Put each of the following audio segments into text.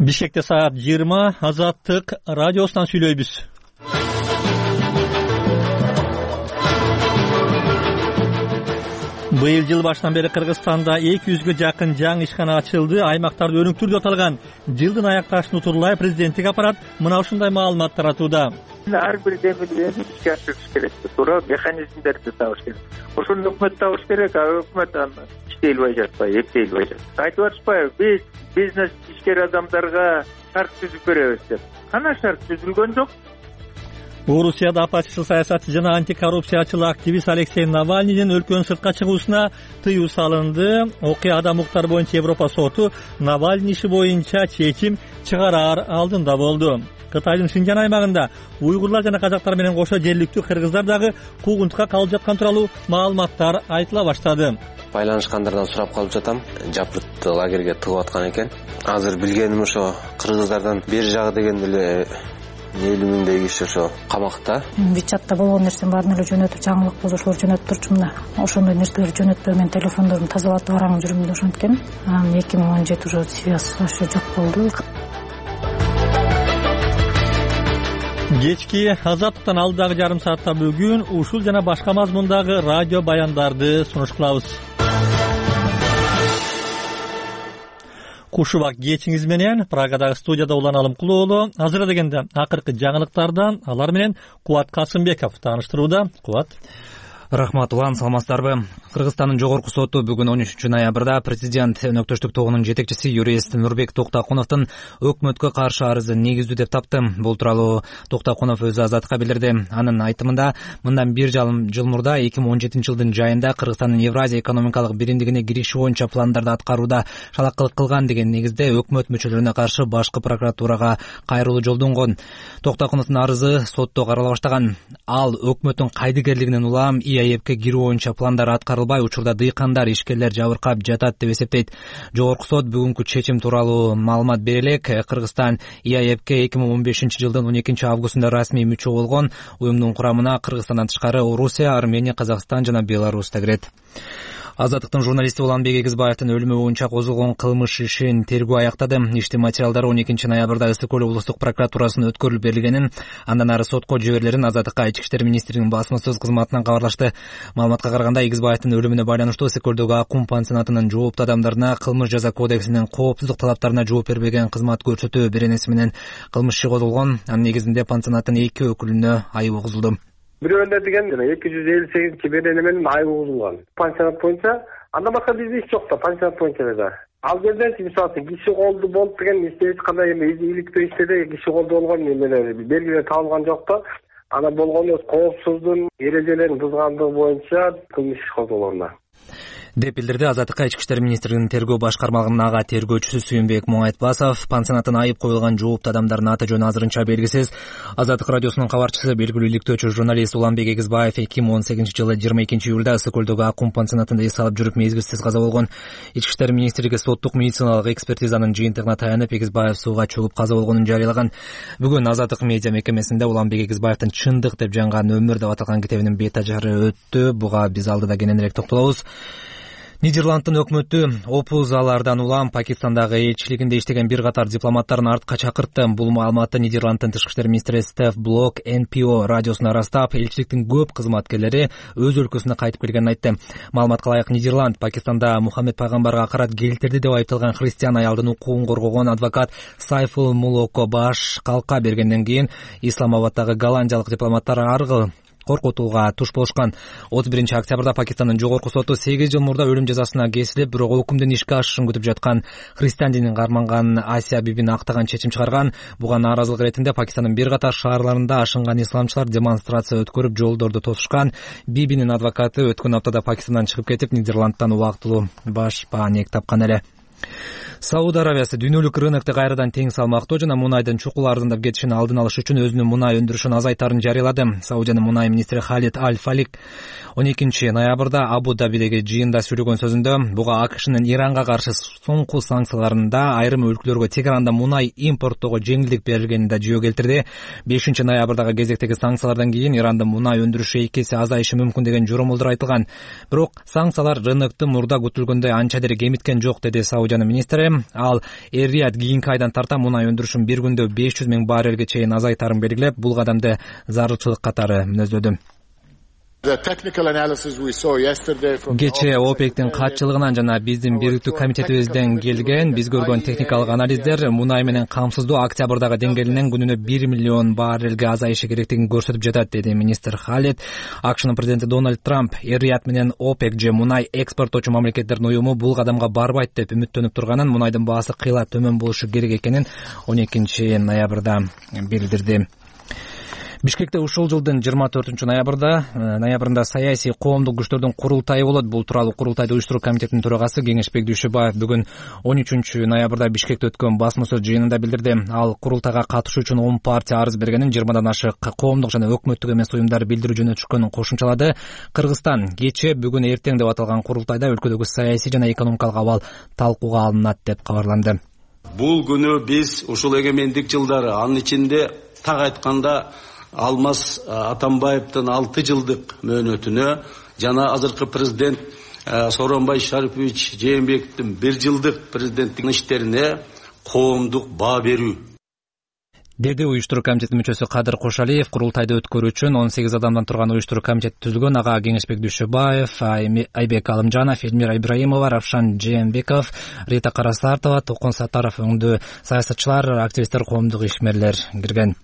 Бишкекте саат 20 Азаттык радиосунан сүйлөйбүз. Быйыл жыл башынан бери Кыргызстанда 200гө жакын жаңы ишкана ачылды. Аймактарда өнүктүрүп аталган жылдын аякташын утурлай президенттик аппарат мына ушундай маалымат таратууда. Ар бир демилгени ишке ашырыш керек, туура механизмдерди табыш керек. Ошону өкмөт табыш керек, өкмөт аны иштей албай жатпайбы, эптей албай жатпайбы. Айтып атышпайбы, биз бизнес ишкер адамдарга шарт түзүп беребиз деп. Кана шарт түзүлгөн жок. Орусияда оппозиция саясатчы жана антикоррупциячыл активист Алексей Навальныйдин өлкөнүн сыртка чыгуусуна тыюу салынды. Окуяда укуктар боюнча Европа соту Навальный иши боюнча чечим чыгараар алдында болду. Кытайдын Шинжан аймагында уйгурлар жана казактар менен кошо жергиликтүү кыргыздар дагы куугунтукка калып жаткан тууралуу маалыматтар айтыла баштады. Байланышкандардан сурап калып жатам. Жапырт лагерге тыгып аткан экен. Азыр билгеним ошо кыргыздардан бери жагы деген эле 50 миңдей киши ошо камакта. Вичатта болгон нерсени баарын эле жөнөтүп, жаңылык болсо ошолор жөнөтүп турчумун да. Ошондой нерселерди жөнөтпөй мен телефондорумду тазалатып араңып жүрүмүн да ошенткен. Анан 2017 уже связь вообще жок болду. Кечки Азаттыктан алдагы жарым саатта бүгүн ушул жана башка мазмундагы радио баяндарды сунуш кылабыз. Кушубак кечиңиз менен Прагадагы студияда Улан Алымкулуулу азыр дегенде акыркы жаңылыктардан алар менен Кубат Касымбеков тааныштырууда. Кубат. Рахмат, Улан, саламатсыздарбы? Кыргызстандын жогорку соту бүгүн 13-ноябрда президент өнөктөштүк тобунун жетекчиси юрист Нурбек Токтакуновдун өкмөткө каршы арызын негиздүү деп тапты. Бул тууралуу Токтакунов өзү Азаттыкка билдирди. Анын айтымында, мындан бир жыл мурда 2017 жылдын жайында Кыргызстандын Евразия экономикалык биримдигине кириши боюнча пландарды аткарууда шалакылык кылган деген негизде өкмөт мүчөлөрүнө каршы башкы прокуратурага кайрылуу жолдонгон. Токтакуновдун арызы сотто карала баштаган. Ал өкмөттүн кайдыгерлигинен улам ИАЭПке кирүү боюнча пландар аткарылбай, учурда дыйкандар, ишкерлер жабыркап жатат деп эсептейт. Жогорку сот бүгүнкү чечим тууралуу маалымат бере элек. Кыргызстан ИАЭПке 2015 жылдын 12 августунда расмий мүчө болгон. Уюмдун курамына Кыргызстандан тышкары Орусия, Армения, Казакстан жана Беларусь да кирет. Азаттыктын журналисти Уланбек Эгизбаевдин өлүмү боюнча козголгон кылмыш ишин тергөө аяктады. Иштин материалдары 12 ноябрда Ысык көл облустук прокуратурасына өткөрүлүп берилгенин, андан ары сотко жиберилерин Азаттыкка Ички иштер министринин басмасөз кызматынан кабарлашты. Маалыматка караганда, Эгизбаевдин өлүмүнө байланыштуу Ысык көлдөгү Аккум пансионатынын жооптуу адамдарына кылмыш жаза кодексинин коопсуздук талаптарына жооп бербеген кызмат көрсөтүү беренеси менен кылмыш иши козголгон. Анын негизинде пансионаттын 2 өкүлүнө айып угузулду. Бирөөндөр деген 258 берене менен айып угузулган. Пансионат боюнча андан башка бизде иш жок да, пансионат боюнча да. Ал жерде мисалы киши колду болуп деген эч кандай иликтөө иштеде киши колду болгон белгилер табылган жок да. Ана болгону коопсуздун эрежелерин бузгандыгы боюнча кылмыш иш козголгон деп билдирди Азаттыкка Ички иштер министринин тергөө башкармалыгынын ага тергөөчүсү Сүйүнбек Моңайтбасов. Пансионаттын айып коюлган жооптуу адамдардын аты жөнү азырынча белгисиз. Азаттык радиосунун кабарчысы, белгилүү иликтөөчү журналист Уланбек Эгизбаев 2018 жылы 22 июлда Ысык көлдөгү Аккум пансионатында эс алып жүрүп мезгилсиз каза болгон. Ички иштер министрлиги соттук медициналык экспертизанын жыйынтыгына таянып, Эгизбаев сууга чөгүп каза болгонун жарыялаган. Бүгүн Азаттык медиа мекемесинде Уланбек Эгизбаевдин «Чындык деп жанган өмүр» деп аталган китебинин бет ажары өттү. Буга биз алдыда кененирээк токтолобуз. Нидерландтын өкмөтү опузалардан улам Пакистандагы элчилигинде иштеген бир катар дипломаттарын артка чакыртты. Бул маалыматты Нидерландтын тышкы иштер министри Стеф Блок НПО радиосуна ырастап, элчиликтин көп кызматкерлери өз өлкөсүнө кайтып келгенин айтты. Маалыматка ылайык, Нидерланд Пакистанда Мухаммед пайгамбарга акарат келтирди деп айыпталган христиан аялдын укугун коргогон адвокат Сайфул Мулокко баш калка бергенден кийин Исламабадтагы голландиялык дипломаттар аргы коркутууга туш болушкан. 31 октябрда Пакистандын жогорку соту 8 жыл мурда өлүм жазасына кесилип, бирок өкүмдүн ишке ашышын күтүп жаткан христиан динин карманган Асия бибини актаган чечим чыгарган. Буга нааразылык иретинде Пакистандын бир катар шаарларында ашынган исламчылар демонстрация өткөрүп, жолдорду тосушкан. Бибинин адвокаты өткөн аптада Пакистандан чыгып кетип, Нидерландтан убактылуу баш баанек тапкан эле. Сауд Арабиясы дүйнөлүк рынокто кайрадан тең салмактуу жана мунайдын чукул арзандап кетишин алдын алыш үчүн өзүнүн мунай өндүрүшүн азайтаарын жарыялады. Саудиянын мунай министри Халид Аль-Фалик 12 ноябрда Абу-Дабидеги жыйында сүйлөгөн сөзүндө буга АКШнын Иранга каршы соңку санкцияларында айрым өлкөлөргө Тегеранда мунай импорттоого жеңилдик берилгенин да жөө келтирди. 5 ноябрдагы кезектеги санкциялардан кийин Ирандын мунай өндүрүшү 2 эсе азайышы мүмкүн деген жоромолдор айтылган. Бирок санкциялар рынокту мурда күтүлгөндөй анча деле кемиткен жок, деди Саудиянын министри. Ал Эр-Рияд кийинки айдан тарта мунай өндүрүшүн бир күндө 500 000 баррелге чейин азайтаарын белгилеп, бул кадамды зарылчылык катары мүнөздөдү. Кечээ ОПЕКтин катчылыгынан жана биздин бириктүү комитетибизден келген биз көргөн техникалык анализдер мунай менен камсыздоо октябрдагы деңгээлинен күнүнө 1 миллион баррелге азайышы керектигин көрсөтүп жатат, деди министр Халет. АКШнын президенти Дональд Трамп Эр-Рияд менен ОПЕК же мунай экспорттоочу мамлекеттердин уюму бул кадамга барбайт деп үмүттөнүп турганын, мунайдын баасы кыйла төмөн болушу керек экенин 12 ноябрда билдирди. Бишкекте ушул жылдын 24-ноябрында саясий коомдук күчтөрдүн курултайы болот. Бул тууралуу курултайды уюштуруу комитетинин төрагасы Кеңешбек Дүйшөбаев бүгүн 13-ноябрда Бишкекте өткөн басма сөз жыйынында билдирди. Ал курултайга катышуу үчүн 10 партия арыз бергенин, 20дан ашык коомдук жана өкмөттүк эмес уюмдар билдирүү жөнөтүшкөнүн кошумчалады. Кыргызстан кечээ, бүгүн, эртең деп аталган курултайда өлкөдөгү саясий жана экономикалык абал талкууга алынат деп кабарланды. Бул күнү биз ушул эгемендик жылдары, анын ичинде так айтканда Алмаз Атамбаевдин 6 жылдык мөөнөтүнө жана азыркы президент Сооронбай Шарипович Жээнбековдун 1 жылдык президенттик иштерине коомдук баа берүү, деди уюштуруу комитетинин мүчөсү Кадыр Кошалиев. Курултайды өткөрүү үчүн 18 адамдан турган уюштуруу комитети түзүлгөн. Ага Кеңешбек Дүйшөбаев, Айбек Алымжанов, Элмира Ибраимова, Равшан Жээнбеков, Рита Карасартова, Токон Сатаров өңдүү саясатчылар, активисттер, коомдук ишмерлер кирген.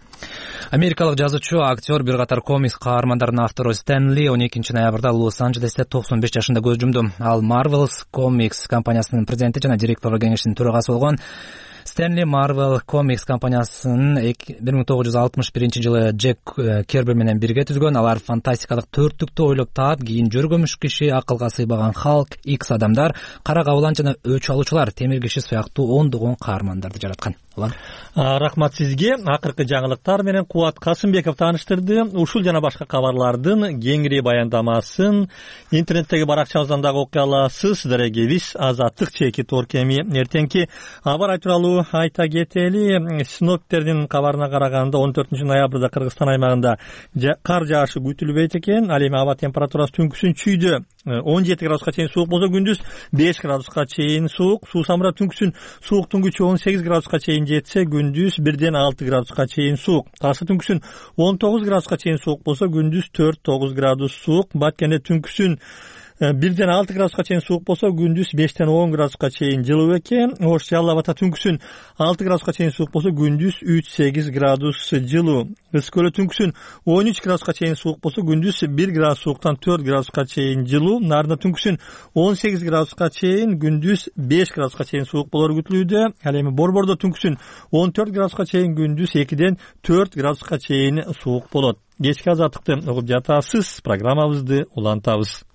Америкалык жазуучу, актер, бир катар комикс каармандарынын автору Стэнли 12 ноябрда Лос-Анджелесте 95 жашында көз жумду. Ал Marvel Comics компаниясынын президенти жана директорлор кеңешинин төрагасы болгон. Стэнли Marvel Comics компаниясын 1961 жылы Джек Керби менен бирге түзгөн. Алар фантастикалык төрттүктү ойлоп таап, кийин жөргөмүш киши, акылга сыйбаган Халк, Икс адамдар, кара кабылан жана өч алуучулар, темир киши сыяктуу ондогон каармандарды жараткан. Рахмат сизге. Акыркы жаңылыктар менен Кубат Касымбеков тааныштырды. Ушул жана башка кабарлардын кеңири баяндамасын интернеттеги баракчабыздан дагы окуй аласыз. Дарегебиз Азаттык чекит оркеми. Эртеңки абар тууралуу айта кетели. Синоптиктердин кабарына караганда 14 ноябрда Кыргызстан аймагында кар жаашы күтүлбөйт экен. Ал эми аба температурасы түнкүсүн 17 градуска чейин суук болсо, күндүз 5 градуска чейин суук. Суу самра түнкүсүн сууктун күчү 18 градуска чейин жетсе, күндүз 1-6 градуска чейин суук. Ташы түнкүсүн 19 градуска чейин суук болсо, күндүз 4-9 градус суук. Баткенде түнкүсүн 1-6 градуска чейин суук болсо, күндүз 5-10 градуска чейин жылуу экен. Ош Жалал Абадта түнкүсүн 6 градуска чейин суук болсо, күндүз 3-8 градус жылуу. Ысык Көлдө түнкүсүн 13 градуска чейин суук болсо, күндүз 1 градус сууктан 4 градуска чейин жылуу. Нарында түнкүсүн 18 градуска чейин, күндүз 5 градуска чейин суук болору күтүлүүдө. Ал эми Борбордо түнкүсүн 14 градуска чейин, күндүз 2-4 градуска чейин суук болот. Кечки азаттыкты угуп жатасыз. Программабызды улантабыз.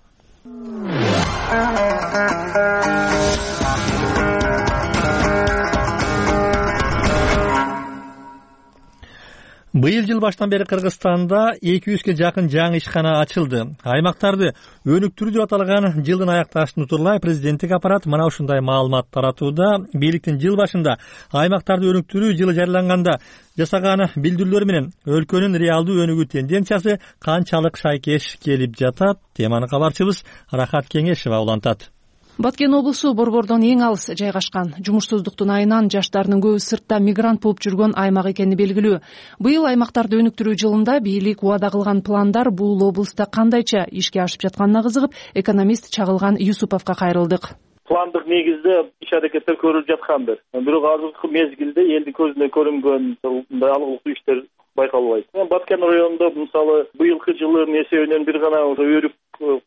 Быйыл жыл баштан бери Кыргызстанда 200ге жакын жаңы ишкана ачылды. Аймактарды өнүктүрүү деп аталган жылдын аякташын утурлай президенттик аппарат мына ушундай маалымат таратууда. Бийликтин жыл башында аймактарды өнүктүрүү жылы жарыяланганда жасаган билдирүүлөр менен өлкөнүн реалдуу өнүгүү тенденциясы канчалык шайкеш келип жатат? Теманы кабарчыбыз Рахат Кеңешева улантат. Баткен облусу Борбордон эң алыс жайгашкан. Жумушсуздуктун айынан жаштардын көбү сыртта мигрант болуп жүргөн аймак экени белгилүү. Быйыл аймактарды өнүктүрүү жылында бийлик убада кылган пландар бул облуста кандайча ишке ашып жатканына кызыгып, экономист Чагылган Юсуповго кайрылдык. Пландык негизде иш аракеттер көрүлүп жаткандыр. Бирок азыркы мезгилде элдин көзүнө көрүнгөн мындай алгылыктуу иштер байкалбайт. Баткен районунда мисалы быйылкы жылдын эсебинен бир гана өрүк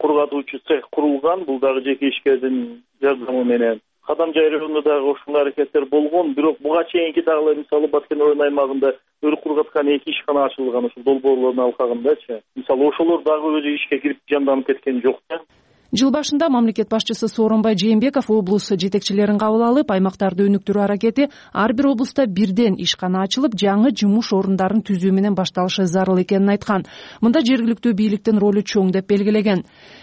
кургатуучу цех курулган. Бул дагы жеке ишкердин жардамы менен. Кадамжай районунда дагы ошондой аракеттер болгон. Бирок буга чейинки дагы мисалы Баткен район аймагында өрүк кургаткан 2 ишкана ачылган, ошол долбоорлордун алкагындачы. Мисалы ошолор дагы өзү ишке кирип жанданып кеткен жок да. Жыл башында мамлекет башчысы Сооронбай Жээнбеков облус жетекчилерин кабыл алып, аймактарды өнүктүрүү аракети ар бир облуста бирден ишкана ачылып, жаңы жумуш орундарын түзүү менен башталышы зарыл экенин айткан. Мында жергиликтүү бийликтин ролу чоң деп белгилеген.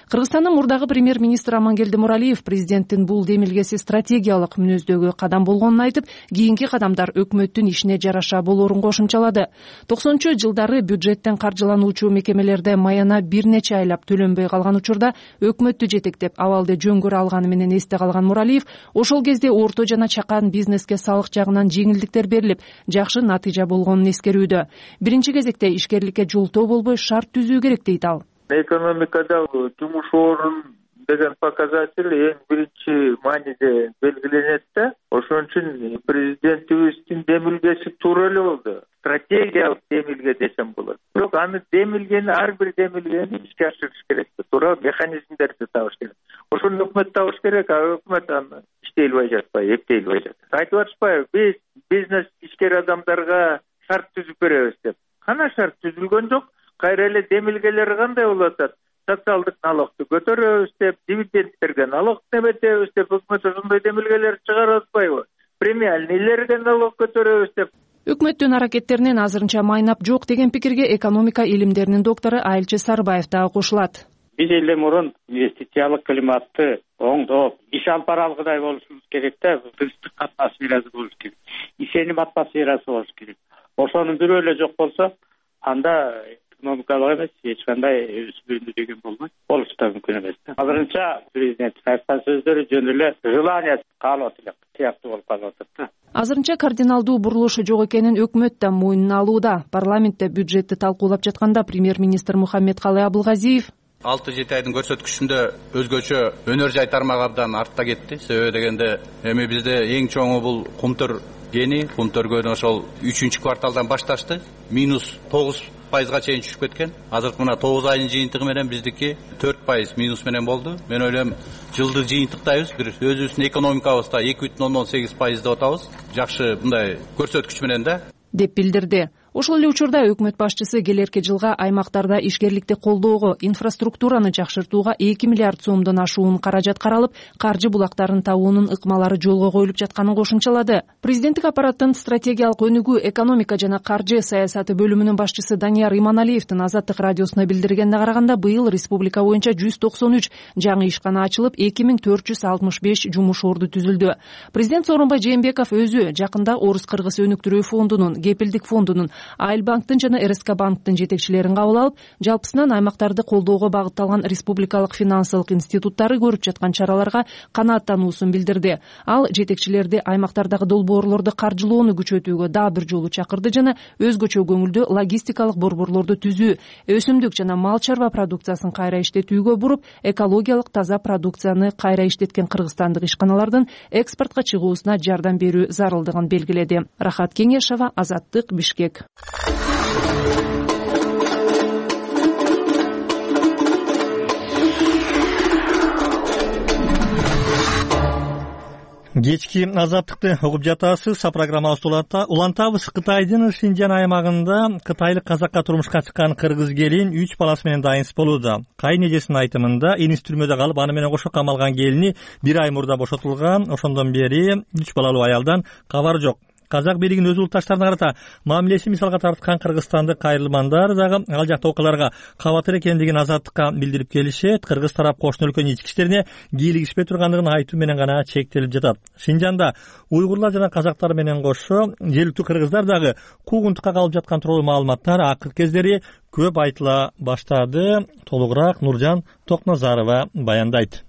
Кыргызстандын мурдагы премьер-министри Амангелди Муралиев президенттин бул демилгеси стратегиялык мүнөздөгү кадам болгонун айтып, кийинки кадамдар өкмөттүн ишине жараша болоорун кошумчалады. 90-жылдары бюджеттен каржылануучу мекемелерде маяна бир нече айлап төлөнбөй калган учурда өкмөт өкмөттү жетектеп абалды жөн көрө алганы менен эсте калган Нуралиев ошол кезде орто жана чакан бизнеске салык жагынан жеңилдиктер берилип, жакшы натыйжа болгонун эскерүүдө. Биринчи кезекте ишкерликке жолтоо болбой шарт түзүү керек дейт ал. Экономикада жумуш орун деген показатель эң биринчи мааниде белгиленет да. Ошон үчүн президентибиздин демилгеси туура эле болду. Стратегиялык демилге десем болот. Бирок аны демилгени, ар бир демилгени ишке ашырыш керек. Туура механизмдерди табыш керек. Ошону өкмөт табыш керек, өкмөт аны иштей албай жатпайбы, эптей албай жатат. Айтып атышпайбы, биз бизнес ишкер адамдарга шарт түзүп беребиз деп. Кана шарт түзүлгөн жок. Кайра эле демилгелери кандай болуп атат? Социалдык налогду көтөрөбүз деп, дивидендтерге налог неметебиз деп өкмөт ошондой демилгелер чыгарып атпайбы? Премиальныйлерге налог көтөрөбүз деп. Өкмөттүн аракеттеринен азырынча майнап жок деген пикирге экономика илимдеринин доктору Айылчы Сарбаев дагы кошулат. Биз эле мурун инвестициялык климатты оңдоп, иш алып бара алгыдай болушубуз керек да, тынчтык атмосферасы болуш керек, ишеним атмосферасы болуш керек. Ошонун бирөө эле жок болсо, анда экономикалык эмес, эч кандай өсүмдү деген болбойт. Болушу да мүмкүн эмес да. Азырынча президенттин айткан сөздөрү жөн эле желание каалап элек сыяктуу болуп калып атат да. Азырынча кардиналдуу бурулуш жок экенин өкмөт да мойнуна алууда. Парламентте бюджетти талкуулап жатканда премьер-министр Мухаммедкалый Абылгазиев 6-7 айдын көрсөткүчүндө өзгөчө өнөр жай тармагы абдан артта кетти. Себеби дегенде эми бизде эң чоңу бул кумтөр гени, кумтөр ошол 3-кварталдан башташты. -9% чейин түшүп кеткен. Азыркы мына 9 айдын жыйынтыгы менен биздики 4% минус менен болду. Мен ойлойм, жылды жыйынтыктайбыз, бир өзүбүздүн экономикабызда 2,18% деп атабыз. Жакшы мындай көрсөткүч менен да деп билдирди. Ошол эле учурда өкмөт башчысы келерки жылга аймактарда ишкерликти колдоого, инфраструктураны жакшыртууга 2 миллиард сомдон ашуун каражат каралып, каржы булактарын табуунун ыкмалары жолго коюлуп жатканын кошумчалады. Президенттик аппараттын стратегиялык өнүгүү, экономика жана каржы саясаты бөлүмүнүн башчысы Данияр Иманалиевдин Азаттык радиосуна билдиргенине караганда, быйыл республика боюнча 193 жаңы ишкана ачылып, 2465 жумуш орду түзүлдү. Президент Сооронбай Жээнбеков өзү жакында Орус-Кыргыз өнүктүрүү фондунун, Кепилдик фондунун, Айыл банктын жана РСК банктын жетекчилерин кабыл алып, жалпысынан аймактарды колдоого багытталган республикалык финансылык институттары көрүп жаткан чараларга канааттануусун билдирди. Ал жетекчилерди аймактардагы долбоорлорду каржылоону күчөтүүгө дагы бир жолу чакырды жана өзгөчө көңүлдүү логистикалык борборлорду түзүү, өсүмдүк жана мал чарба продукциясын кайра иштетүүгө буруп, экологиялык таза продукцияны кайра иштеткен кыргызстандык ишканалардын экспортко чыгуусуна жардам берүү зарылдыгын белгиледи. Рахат Кеңешова, Азаттык, Бишкек. Кечки Азаттыкты угуп жатасыз. Программабызды улантабыз. Кытайдын Шинжан аймагында кытайлык казакка турмушка чыккан кыргыз келин 3 баласы менен дайынсыз болууда. Кайын эжесинин айтымында, иниси түрмөдө калып, аны менен кошо камалган келини 1 ай мурда бошотулган. Ошондон бери 3 балалуу аялдан кабар жок. Казак бийлигинин өз улутташтарына карата мамилеси мисалга тарткан кыргызстандык кайрылмандар дагы ал жакта окуяларга кабатыр экендигин Азаттыкка билдирип келишет. Кыргыз тарап кошуна өлкөнүн ички иштерине кийлигишпей тургандыгын айтуу менен гана чектелип жатат. Шинжанда уйгурлар жана казактар менен кошо жергиликтүү кыргыздар дагы куугунтукка калып жаткан тууралуу маалыматтар акыркы кездери көп айтыла баштады. Толугураак Нуржан Токназарова баяндайт.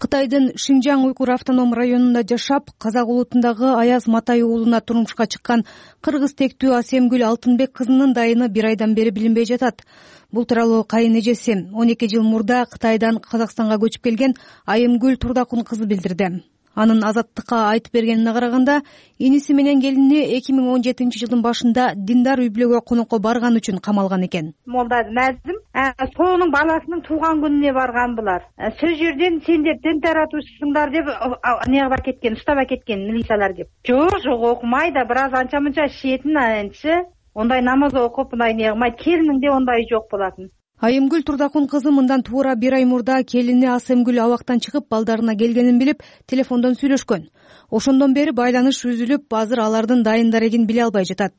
Кытайдын Шинжан Уйгур автоном районунда жашап, казак улутундагы Аяз Матай уулуна турмушка чыккан кыргыз тектүү Асемгүл Алтынбек кызынын дайыны 1 айдан бери билинбей жатат. Бул тууралуу кайын эжеси 12 жыл мурда Кытайдан Казакстанга көчүп келген Айымгүл Турдакун кызы билдирди. Анын Азаттыкка айтып бергенине караганда, иниси менен келини 2017 жылдын башында диндар үй-бүлөгө конокко барган үчүн камалган экен. Молда Назым сонун баласынын тууган күнүнө барган булар. Сол жерден сендер дин таратуучусуңдар деп неге бар кеткен, уштап кеткен милициялар деп. Жок, окумай да бир аз анча мынча шиетин анчы. Ондай намаз окуп, мындай неге кылмайт. Келининде ондай жок болатын. Айымгүл Турдакун кызы мындан туура 1 ай мурда келини Асемгүл абактан чыгып балдарына келгенин билип, телефондон сүйлөшкөн. Ошондон бери байланыш үзүлүп, азыр алардын дайын дарегин биле албай жатат.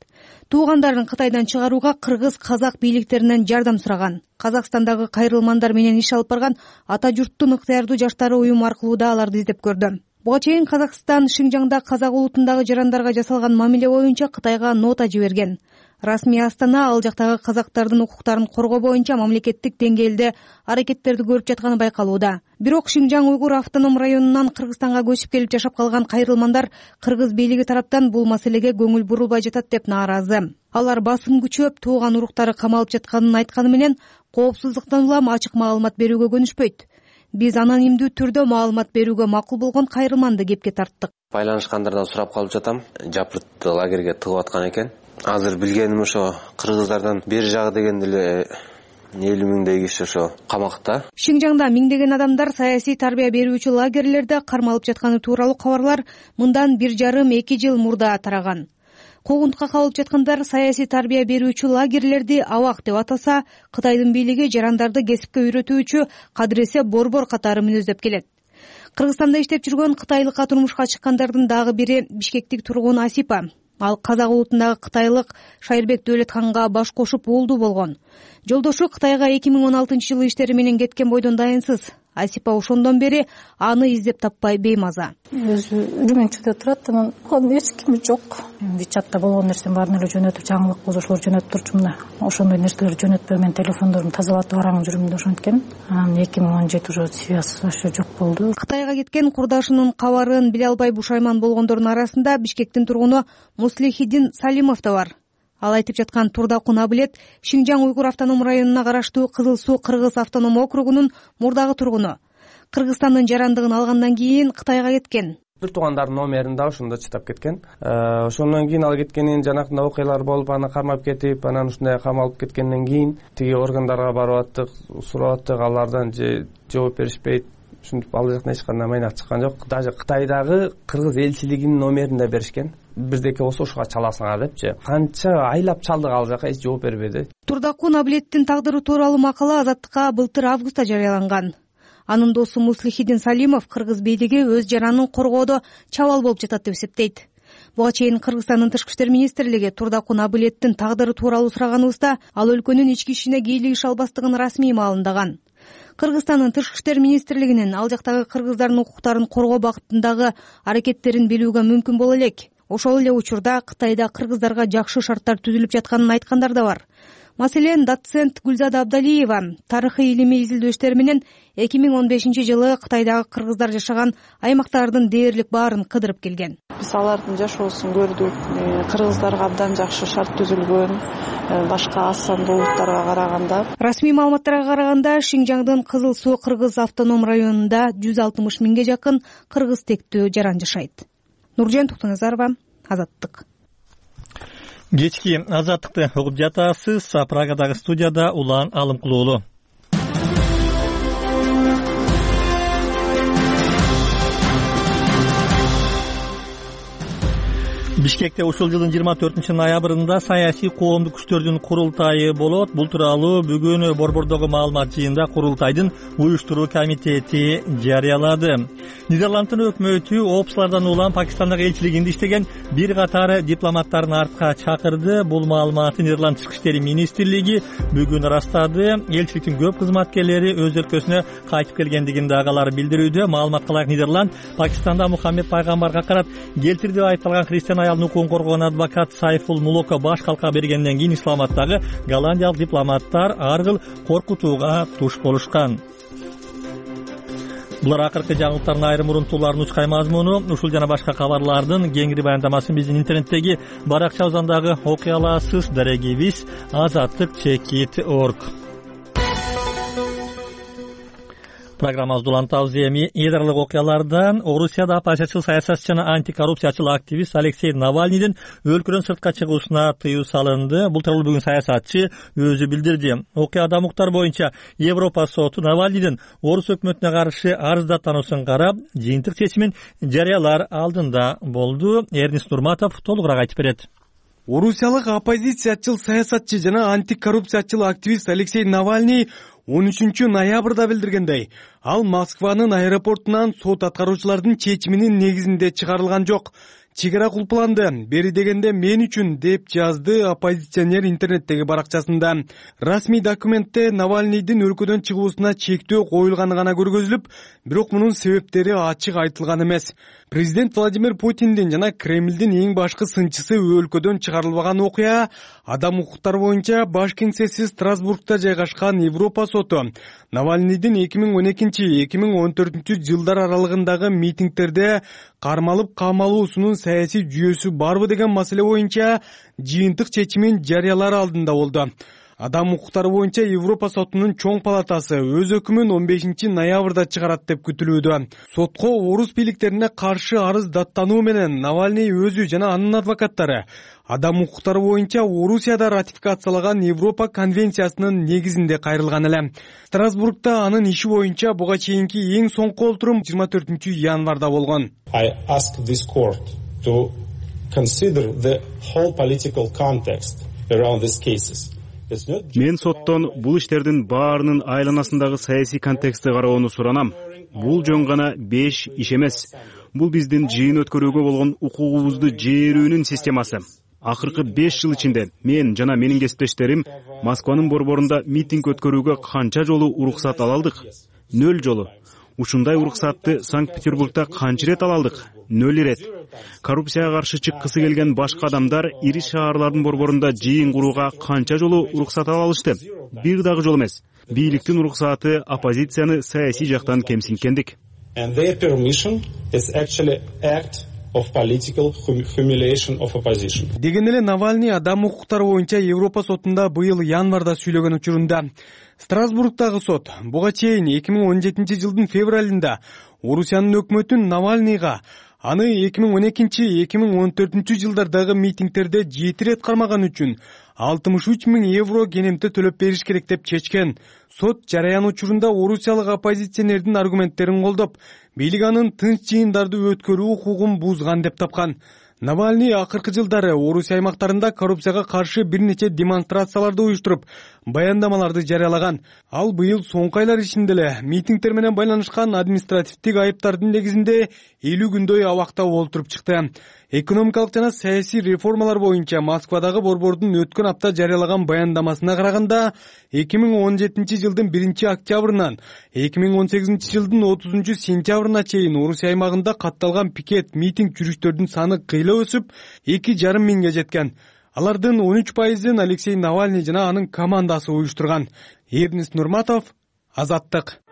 Туугандарын Кытайдан чыгарууга кыргыз казак бийликтеринен жардам сураган. Казакстандагы кайрылмандар менен иш алып барган ата журттун ыктыярдуу жаштары уюм аркылуу да аларды издеп көрдү. Буга чейин Казакстан Шинжаңда казак улутундагы жарандарга жасалган мамиле боюнча Кытайга нота жиберген. Расмий Астана ал жактагы казактардын укуктарын коргоо боюнча мамлекеттик деңгээлде аракеттерди көрүп жатканы байкалууда. Бирок Шинжаң уйгур автоном районунан Кыргызстанга көчүп келип жашап калган кайрылмандар кыргыз бийлиги тараптан бул маселеге көңүл бурулбай жатат деп нааразы. Алар басым күчөп тууган уруктары камалып жатканын айтканы менен коопсуздуктан улам ачык маалымат берүүгө көнүшпөйт. Биз анонимдүү түрдө маалымат берүүгө макул болгон кайрылманды кепке тарттык. Байланышкандардан сурап калып жатам. Жапырт лагерге тыгып аткан экен. Азыр билгеним ошо кыргыздардан бери жагы дегенде эле 50 миңдей киши ошо камакта. Шинжаңда миңдеген адамдар саясий тарбия берүүчү лагерлерде кармалып жатканы тууралуу кабарлар мындан 1,5-2 жыл мурда тараган. Куугунтукка кабылып жаткандар саясий тарбия берүүчү лагерлерди абак деп атаса, Кытайдын бийлиги жарандарды кесипке үйрөтүүчү кадыресе борбор катары мүнөздөп келет. Кыргызстанда иштеп жүргөн кытайлыкка турмушка чыккандардын дагы бири Бишкектик тургун Асипа. Ал казак улутундагы кытайлык Шайырбек Дөөлөтканга баш кошуп уулдуу болгон. Жолдошу Кытайга 2016-жылы иштери менен кеткен бойдон дайынсыз. Асипа ошондон бери аны издеп таппай беймаза. Өзү Үрүмүнчүдө турат, анан эч кими жок. Вичатта болгон нерсени баарын эле жөнөтүп, жаңылык болсо ошолор жөнөтүп турчумун да. Ошондой нерселерди жөнөтпөй мен телефондорумду тазалатып барам жүрүм да ошенткен. Анан 2017 уже связь вообще жок болду. Кытайга кеткен курдашынын кабарын биле албай бушайман болгондордун арасында Бишкектин тургуну Муслихидин Салимов да бар. Ал айтып жаткан Турдакун Абилет Шинжаң уйгур автоном районуна караштуу Кызыл Суу Кыргыз автоном округунун мурдагы тургуну. Кыргызстандын жарандыгын алгандан кийин Кытайга кеткен. Бир туугандардын номерин да ошондо чытап кеткен. Ошондон кийин ал кеткенин жанакында окуялар болуп, аны кармап кетип, анан ушундай камалып кеткенден кийин тиги органдарга барып аттык, сурап аттык, алардан же жооп беришпейт. Ушинтип ал жактан эч кандай майнак чыккан жок. Даже Кытайдагы кыргыз элчилигинин номерин да беришкен. Бирдеке болсо ошого чаласыңар депчи. Канча айлап чалдык, ал жака эч жооп бербеди. Турдакун Абилеттин тагдыры тууралуу макала Азаттыкка былтыр августта жарыяланган. Анын досу Муслихидин Салимов кыргыз бийлиги өз жаранын коргоодо чабал болуп жатат деп эсептейт. Буга чейин Кыргызстандын Тышкы иштер министрлиги Турдакун Абилеттин тагдыры тууралуу сураганыбызда ал өлкөнүн ички ишине кийлигише албастыгын расмий маалымдаган. Кыргызстандын Тышкы иштер министрлигинин ал жактагы кыргыздардын укуктарын коргоо багытындагы аракеттерин билүүгө мүмкүн боло элек. Ошол эле учурда Кытайда кыргыздарга жакшы шарттар түзүлүп жатканын айткандар да бар. Маселен, доцент Гүлзада Абдалиева тарыхый илимий изилдөө иштери менен 2015-жылы Кытайдагы кыргыздар жашаган аймактардын дээрлик баарын кыдырып келген. Биз алардын жашоосун көрдүк. Кыргыздарга абдан жакшы шарт түзүлгөн, башка аз сандуу улуттарга караганда. Расмий маалыматтарга караганда, Шинжаңдын Кызыл Суу Кыргыз автоном районунда 160 миңге жакын кыргыз тектүү жаран жашайт. Нуржан Токтоназарова, Азаттык. Кечки Азаттыкты угуп жатасыз. Прагадагы студияда Улан Алымкулуулу. Бишкекте ушул жылдын 24-ноябрында саясий коомдук күчтөрдүн курултайы болот. Бул тууралуу бүгүн Борбордогу маалымат жыйында курултайдын уюштуруу комитети жарыялады. Нидерланддын өкмөтү опслардан улам Пакистандагы элчилигинде иштеген бир катар дипломаттарын артка чакырды. Бул маалыматты Нидерланд Тышкы иштер министрлиги бүгүн ырастады. Элчиликтин көп кызматкерлери өз өлкөсүнө кайтып келгендигин дагы алар билдирүүдө. Маалыматка ылайык Нидерланд Пакистанда Мухаммед пайгамбарга карап келтирди деп айыпталган христиан аялдын укугун коргогон адвокат Сайфул Мулоко баш калка бергенден кийин Исламабадтагы голландиялык дипломаттар ар кыл коркутууга туш болушкан. Булар акыркы жаңылыктардын айрым урунтууларынын ускай мазмуну. Ушул жана башка кабарлардын кеңири баяндамасын биздин интернеттеги баракчабыздагы окуй аласыз. Дарегибиз azattik.org. Программабызды улантабыз. Эми эдарлык окуялардан Орусияда оппозициячыл саясатчы жана антикоррупциячыл активист Алексей Навальныйдын өлкөдөн сыртка чыгуусуна тыюу салынды. Бул тууралуу бүгүн саясатчы өзү билдирди. Окуяда муктар боюнча Европа соту Навальныйдын Орус өкмөтүнө каршы арыздаттануусун карап, жыйынтык чечимин жарыялар алдында болду. Эрнис Нурматов толугураак айтып берет. Орусиялык оппозициячыл саясатчы жана антикоррупциячыл активист Алексей Навальный 13-ноябрда билдиргендей, ал Москванын аэропортунан сот аткаруучулардын чечиминин негизинде чыгарылган жок. чек ара кулпуланды. Бери дегенде мен үчүн, деп жазды оппозиционер интернеттеги баракчасында. Расмий документте Навальныйдын өлкөдөн чыгуусуна чектөө коюлганы гана көргөзүлүп, бирок мунун себептери ачык айтылган эмес. Президент Владимир Путиндин жана Кремлдин эң башкы сынчысы өлкөдөн чыгарылбаган окуя адам укуктары боюнча баш кеңсеси Страсбургда жайгашкан Европа соту Навальныйдын 2012-2014 жылдар аралыгындагы митингтерде кармалып камалуусунун саясий жүйөсү барбы деген маселе боюнча жыйынтык чечимин жарыялар алдында болду. Адам укуктары боюнча Европа сотунун чоң палатасы өз өкүмүн 15 ноябрда чыгарат деп күтүлүүдө. Сотко орус бийликтерине каршы арыз даттануу менен Навальный өзү жана анын адвокаттары адам укуктары боюнча Орусияда ратификациялаган Европа конвенциясынын негизинде кайрылган эле. Страсбургда анын иши боюнча буга чейинки эң соңку олтурум 24 январда болгон. I ask this court to consider the whole political context around these cases. Мен соттон бул иштердин баарынын айланасындагы саясий контекстти кароону суранам. Бул жөн гана 5 иш эмес. Бул биздин жыйын өткөрүүгө болгон укугубузду жээрүүнүн системасы. Акыркы 5 жыл ичинде мен жана менин кесиптештерим Москванын борборунда митинг өткөрүүгө канча жолу уруксат ала алдык? 0 жолу. Ушундай уруксатты Санкт-Петербургда канча ирет ала алдык? 0 ирет. Коррупцияга каршы чыккысы келген башка адамдар ири шаарлардын борборунда жыйын курууга канча жолу уруксат ала алышты? Бир дагы жол эмес. Бийликтин уруксаты оппозицияны саясий жактан кемсинткендик. And their permission is actually act of political humiliation of opposition. Деген эле Навальный адам укуктары боюнча Европа сотунда быйыл январда сүйлөгөн учурунда Страсбургдагы сот буга чейин 2017 жылдын февралында Орусиянын өкмөтүн Навальныйга аны 2012-2014 жылдардагы митингтерде 7 рет кармаган үчүн 63 000 евро кенемте төлөп бериш керек деп чечкен. Сот жараян учурунда орусиялык оппозиционердин аргументтерин колдоп, бийлик анын тынч жыйындарды өткөрүү укугун бузган деп тапкан. Навальный акыркы жылдары Орусия аймактарында коррупцияга каршы бир нече демонстрацияларды уюштуруп, баяндамаларды жарыялаган. Ал быйыл соңку айлар ичинде эле митингтер менен байланышкан административдик айыптардын негизинде 50 күндөй абакта олтуруп чыкты. Экономикалык жана саясий реформалар боюнча Москвадагы борбордун өткөн апта жарыялаган баяндамасына караганда 2017 жылдын 1 октябрынан 2018 жылдын 30 сентябрына чейин Орусия аймагында катталган пикет митинг жүрүштөрдүн саны кыйла өсүп 2,5 миңге жеткен. Алардын 13%-ын Алексей Навальный жана анын командасы уюштурган. Эрнест Нурматов, Азаттык.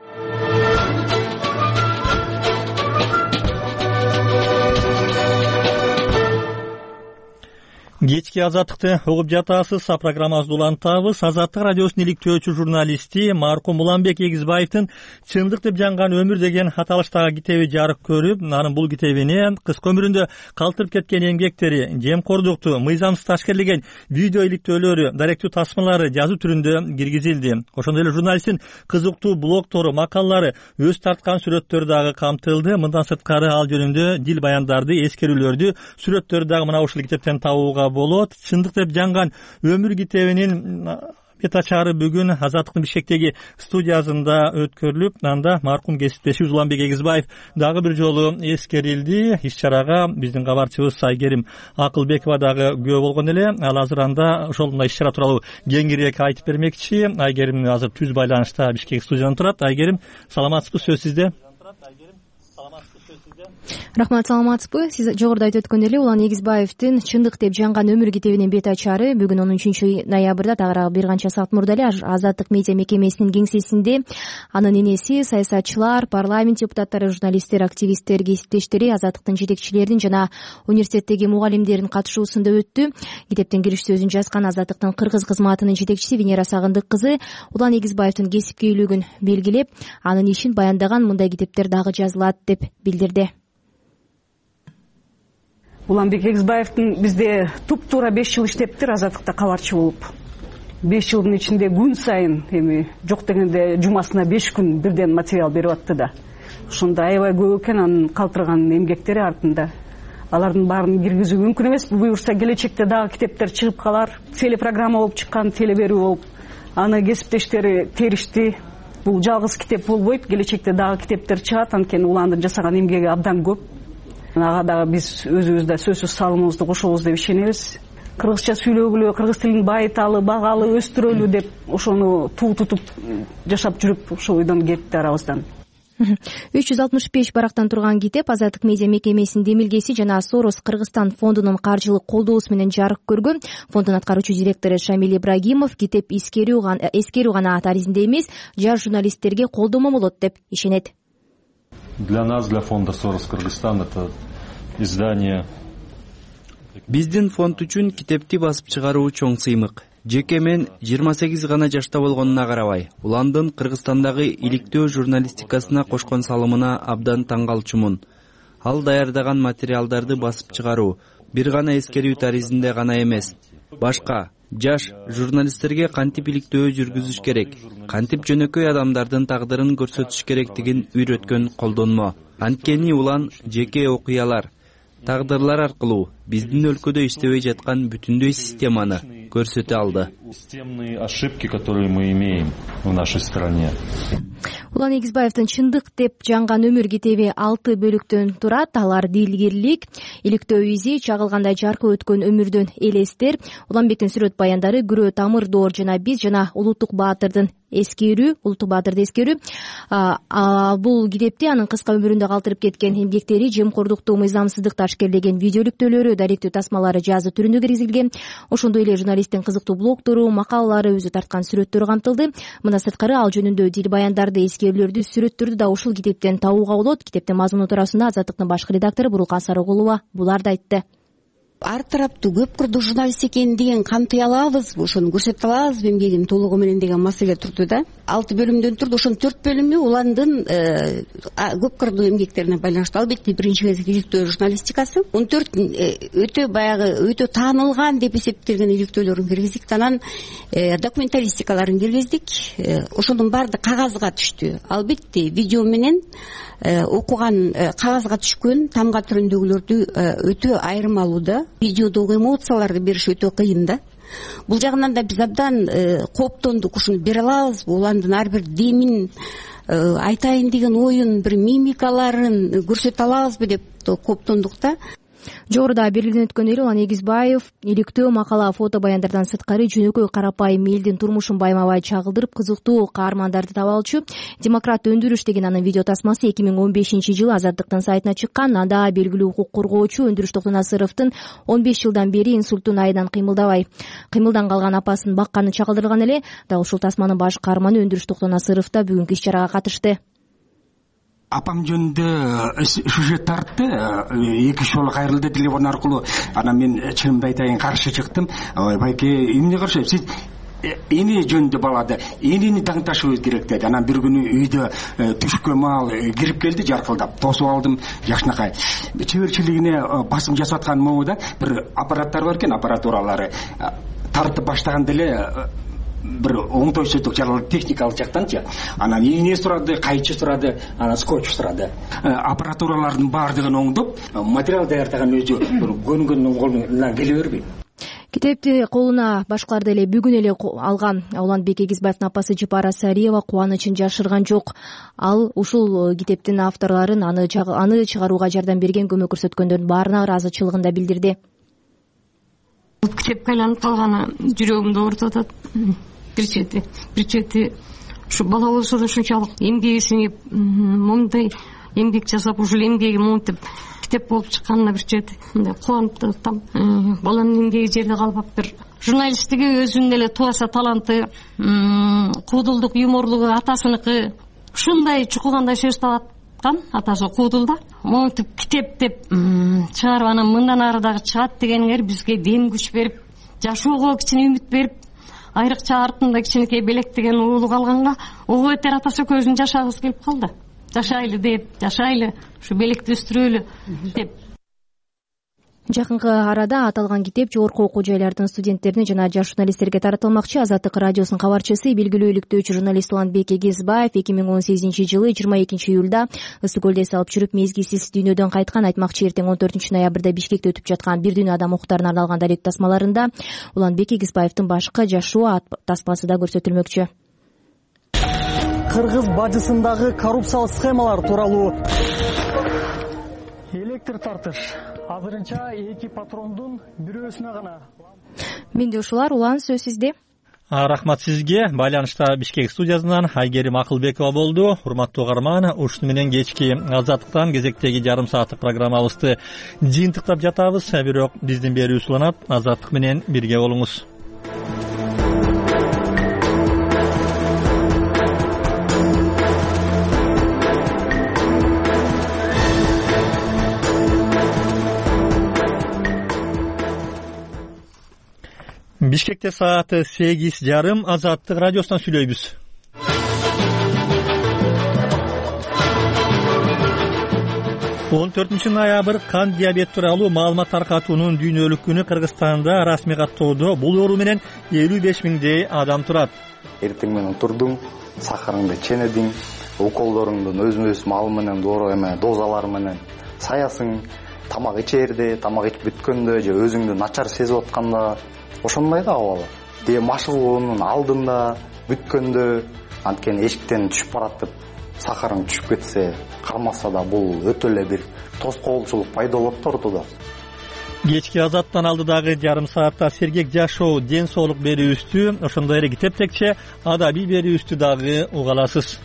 Кечки Азаттыкты угуп жатасыз. Программабызды улантабыз. Азаттык радиосунун иликтөөчү журналисти маркум Уланбек Эгизбаевдин «Чындык деп жанган өмүр» деген аталыштагы китеби жарык көрүп, анын бул китебине кыска өмүрүндө калтырып кеткен эмгектери, жемкордукту, мыйзамсыз ташкерлеген видео иликтөөлөрү, даректүү тасмалары жазуу түрүндө киргизилди. Ошондой эле журналисттин кызыктуу блогтору, макалалары, өз тарткан сүрөттөрү дагы камтылды. Мындан сырткары ал жөнүндө дил баяндарды, эскерүүлөрдү, сүрөттөрү дагы мына ушул китептен табууга болот. «Чындык деп жанган өмүр» китебинин бет ачары бүгүн Азаттыктын Бишкектеги студиясында өткөрүлүп, анда маркум кесиптешибиз Уланбек Эгизбаев дагы бир жолу эскерилди. Иш-чарага биздин кабарчыбыз Айгерим Акылбекова дагы күбө болгон эле. Ал азыр анда ошол мына иш-чара тууралуу кеңирээк айтып бермекчи. Айгерим азыр түз байланышта Бишкек студиясынан турат. Айгерим, саламатсызбы? Сөз сизде. Рахмат, саламатсызбы? Сиз жогоруда айтып өткөндөй эле Улан Эгизбаевдин «Чындык деп жанган өмүр» китебинин бет ачары бүгүн 13 ноябрда тагыраак бир канча саат мурда эле Азаттык медиа мекемесинин кеңсесинде анын энеси, саясатчылар, парламент депутаттары, журналисттер, активисттер, кесиптештери, Азаттыктын жетекчилеринин жана университеттеги мугалимдердин катышуусунда өттү. Китептин кириш сөзүн жазган Азаттыктын кыргыз кызматынын жетекчиси Венера Сагындык кызы Улан Эгизбаевдин кесипкөйлүгүн белгилеп, анын ишин баяндаган мындай китептер дагы жазылат деп билдирди. Уланбек Эгизбаевдин бизде туп-туура 5 жыл иштептир Азаттыкта кабарчы болуп. 5 жылдын ичинде күн сайын, эми жок дегенде жумасына 5 күн бирден материал берип атты да. Ошондо аябай көп экен анын калтырган эмгектери артында. Алардын баарын киргизүү мүмкүн эмес. Буюрса келечекте дагы китептер чыгып калар. Телепрограмма болуп чыккан, телеберүү болуп. Аны кесиптештери теришти. Бул жалгыз китеп болбойт. Келечекте дагы китептер чыгат. Анткени Уландын жасаган эмгеги абдан көп. ага дагы биз өзүбүз да сөзсүз салымыбызды кошобуз деп ишенебиз. Кыргызча сүйлөгүлө, кыргыз тилин байыталы, багалы, өстүрөлү деп ошону туу тутуп жашап жүрүп ошол ойдон кетти арабыздан. 365 барактан турган китеп Азаттык медиа мекемесинин демилгеси жана Сорос Кыргызстан фондунун каржылык колдоосу менен жарык көргөн. Фонддун аткаруучу директору Шамиль Ибрагимов китеп эскерүү гана ат аризинде эмес, жаш журналисттерге колдомо болот деп ишенет. Для нас, для фонда Сорос Кыргызстан, это издание. Биздин фонд үчүн китепти басып чыгаруу чоң сыймык. Жеке мен 28 гана жашта болгонуна карабай, уландын Кыргызстандагы иликтөө журналистикасына кошкон салымына абдан таң калчумун. Ал даярдаган материалдарды басып чыгаруу бир гана эскерүү таризинде гана эмес, башка жаш журналисттерге кантип иликтөө жүргүзүш керек, кантип жөнөкөй адамдардын тагдырын көрсөтүш керектигин үйрөткөн колдонмо. Анткени улан жеке окуялар, тагдырлар аркылуу биздин өлкөдө иштебей жаткан бүтүндөй системаны көрсөтө алды. Системные ошибки, которые мы имеем в нашей стране. Улан Эгизбаевдин Чындык деп жанган өмүр китеби 6 бөлүктөн турат. Алар дилгирлик, иликтөө изи, чагылгандай жаркы өткөн өмүрдөн элестер, Уланбектин сүрөт баяндары, күрөө тамыр доор жана биз жана Улуттук Баатырды эскерүү. Бул китепти анын кыска өмүрүндө калтырып кеткен эмгектери, жемкордукту, мыйзамсыздыкты ашкерлеген видеоликтөөлөрү, даректүү тасмалары жазуу түрүндө киргизилген. Ошондой эле журналисттин кызыктуу блогдору, макалалары, өзү тарткан сүрөттөрү камтылды. Мына сырткары ал жөнүндө дил баяндарды, эскерүүлөрдү, сүрөттөрдү да ушул китептен табууга болот. Китептин мазмуну туурасында Азаттыктын башкы редактору Бурулкан Сарыгулова буларды айтты. Ар тараптуу көп кырдуу журналист экендигин камтый алабызбы, ошону көрсөтө алабызбы эмгегин толугу менен деген маселе турду да. 6 бөлүмдөн турду. Ошонун 4 бөлүмү уландын көп кырдуу эмгектерине байланыштуу. Албетте биринчи кезекте иликтөө журналистикасы. 14 өтө баягы өтө таанылган деп эсептелген иликтөөлөрүн киргиздик, анан документалистикаларын киргиздик. Ошонун баардыгы кагазга түштү. Албетте видео менен окуган кагазга түшкөн тамга түрүндөгүлөрдү өтө айырмалуу да. Видеодогу эмоцияларды бериш өтө кыйын да. Бул жагынан да биз абдан кооптондук. Ушуну бере алабызбы? Уландын ар бир демин, айтайын деген оюн, бир мимикаларын көрсөтө алабызбы деп кооптондук да. Жогоруда белгиленип өткөн эле Улан Эгизбаев иликтөө, макала, фото баяндардан сырткары жөнөкөй карапайым элдин турмушун байма-бай чагылдырып, кызыктуу каармандарды таба алчу. Демократ өндүрүш деген анын видео тасмасы 2015-жылы Азаттыктын сайтына чыккан. Анда белгилүү укук коргоочу Өндүрүш Токтонасыровдун 15 жылдан бери инсульттун айынан кыймылдан калган апасын бакканы чагылдырылган эле. Дал ушул тасманын баш каарманы Өндүрүш Токтонасыров да бүгүнкү иш-чарага катышты. Апам жөнүндө сюжет тартты, 2 жолу кайрылды телефон аркылуу. Анан мен чынымды айтайын каршы чыктым. Байке, эмне каршы? Сиз эне жөнүндө балады, энени таңташыбыз керек деди. Анан бир күнү үйдө түшкө маал кирип келди, жаркылдап тосуп алдым. Жакшынакай чеберчилигине басым жасап аткан могу да, бир аппараттар бар экен, аппаратуралары тартып баштаганда эле бир оңтойсуздук жаралды техникалык жактанчы. Анан ийне сурады, кайчы сурады, анан скотч сурады. Аппаратуралардын баардыгын оңдоп, материал даярдаган өзү бир көнгөн колуна келе бербейт. Китепти колуна башкаларды эле бүгүн эле алган Уланбек Эгизбаевдин апасы Жипара Сариева кубанычын жашырган жок. Ал ушул китептин авторлорун аны чыгарууга жардам берген, көмөк көрсөткөндөрдүн баарына ыраазычылыгын да билдирди. Китепке айланып калганы жүрөгүмдү оорутуп атат. Бир чети ушу бала болсо да ушунчалык эмгеги сиңип, момундай эмгек жасап, ушул эмгеги монтип китеп болуп чыкканына бир чети мындай кубанып атам. Баланын эмгеги жерде калбаптыр. Журналисттиги өзүнүн эле тубаса таланты, куудулдук, юморлугу атасыныкы. Ушундай чукулгандай сөз табаткан атасы куудулда. Монтип китеп деп чыгарып, анан мындан ары дагы чыгат дегениңер бизге дем күч берип, жашоого кичине үмүт берип, айрыкча артында кичинекей белек деген уулу калганга ого бетер атасы көзүн жашагысы келип калды. Жашайлы деп, жашайлы, ушу белекти өстүрөлү деп. Жакынкы арада аталган китеп жогорку окуу жайлардын студенттерине жана жаш журналисттерге таратылмакчы. Азаттык радиосунун кабарчысы, белгилүү иликтөөчү журналист Уланбек Эгизбаев 2018-жылы 22-июлда Ысык көлдө эс алып жүрүп мезгилсиз дүйнөдөн кайткан. Айтмакчы, эртең 14-ноябрда Бишкекте өтүп жаткан бир дүйнө адам укуктарына арналган даректүү тасмаларында Уланбек Эгизбаевдин башкы жашоо тасмасы да көрсөтүлмөкчү. Кыргыз бажысындагы коррупциялык схемалар тууралуу электр тартыш. Азырынча 2 патрондун бирөөсүнө гана. Менде ушулар. Улан, сөз сизде. Рахмат сизге. Байланышта Бишкек студиясынан Айгерим Акылбекова болду. Урматтуу угарман, ушуну менен кечки Азаттыктан кезектеги жарым сааттык программабызды жыйынтыктап жатабыз. Бирок биздин берүүбүз уланат. Азаттык менен бирге болуңуз. Бишкекте сааты 8:30. Азаттык радиосунан сүйлөйбүз. Он 4 ноябрь кан диабет тууралуу маалымат таркатуунун дүйнөлүк күнү Кыргызстанда расмий каттоодо. Бул оору менен 55 миңдей адам турат. Эртең менен турдуң, сахарыңды ченедиң, уколдоруңдун өзүнө-өз маалы менен дозалары менен саясың, тамак ичерде, тамак ичип бүткөндө же өзүңдү начар сезип атканда ошондой да абалы. Машыгуунун алдында, бүткөндө, анткени эшиктен түшүп барат деп сахарың түшүп кетсе, кармаса да бул өтө эле бир тоскоолчулук пайда болот да ортодо. Кечки Азаттан алдыдагы жарым саатта сергек жашоо, ден соолук берүүбүздү, ошондой эле китептекче адабий берүүбүздү дагы уга аласыз.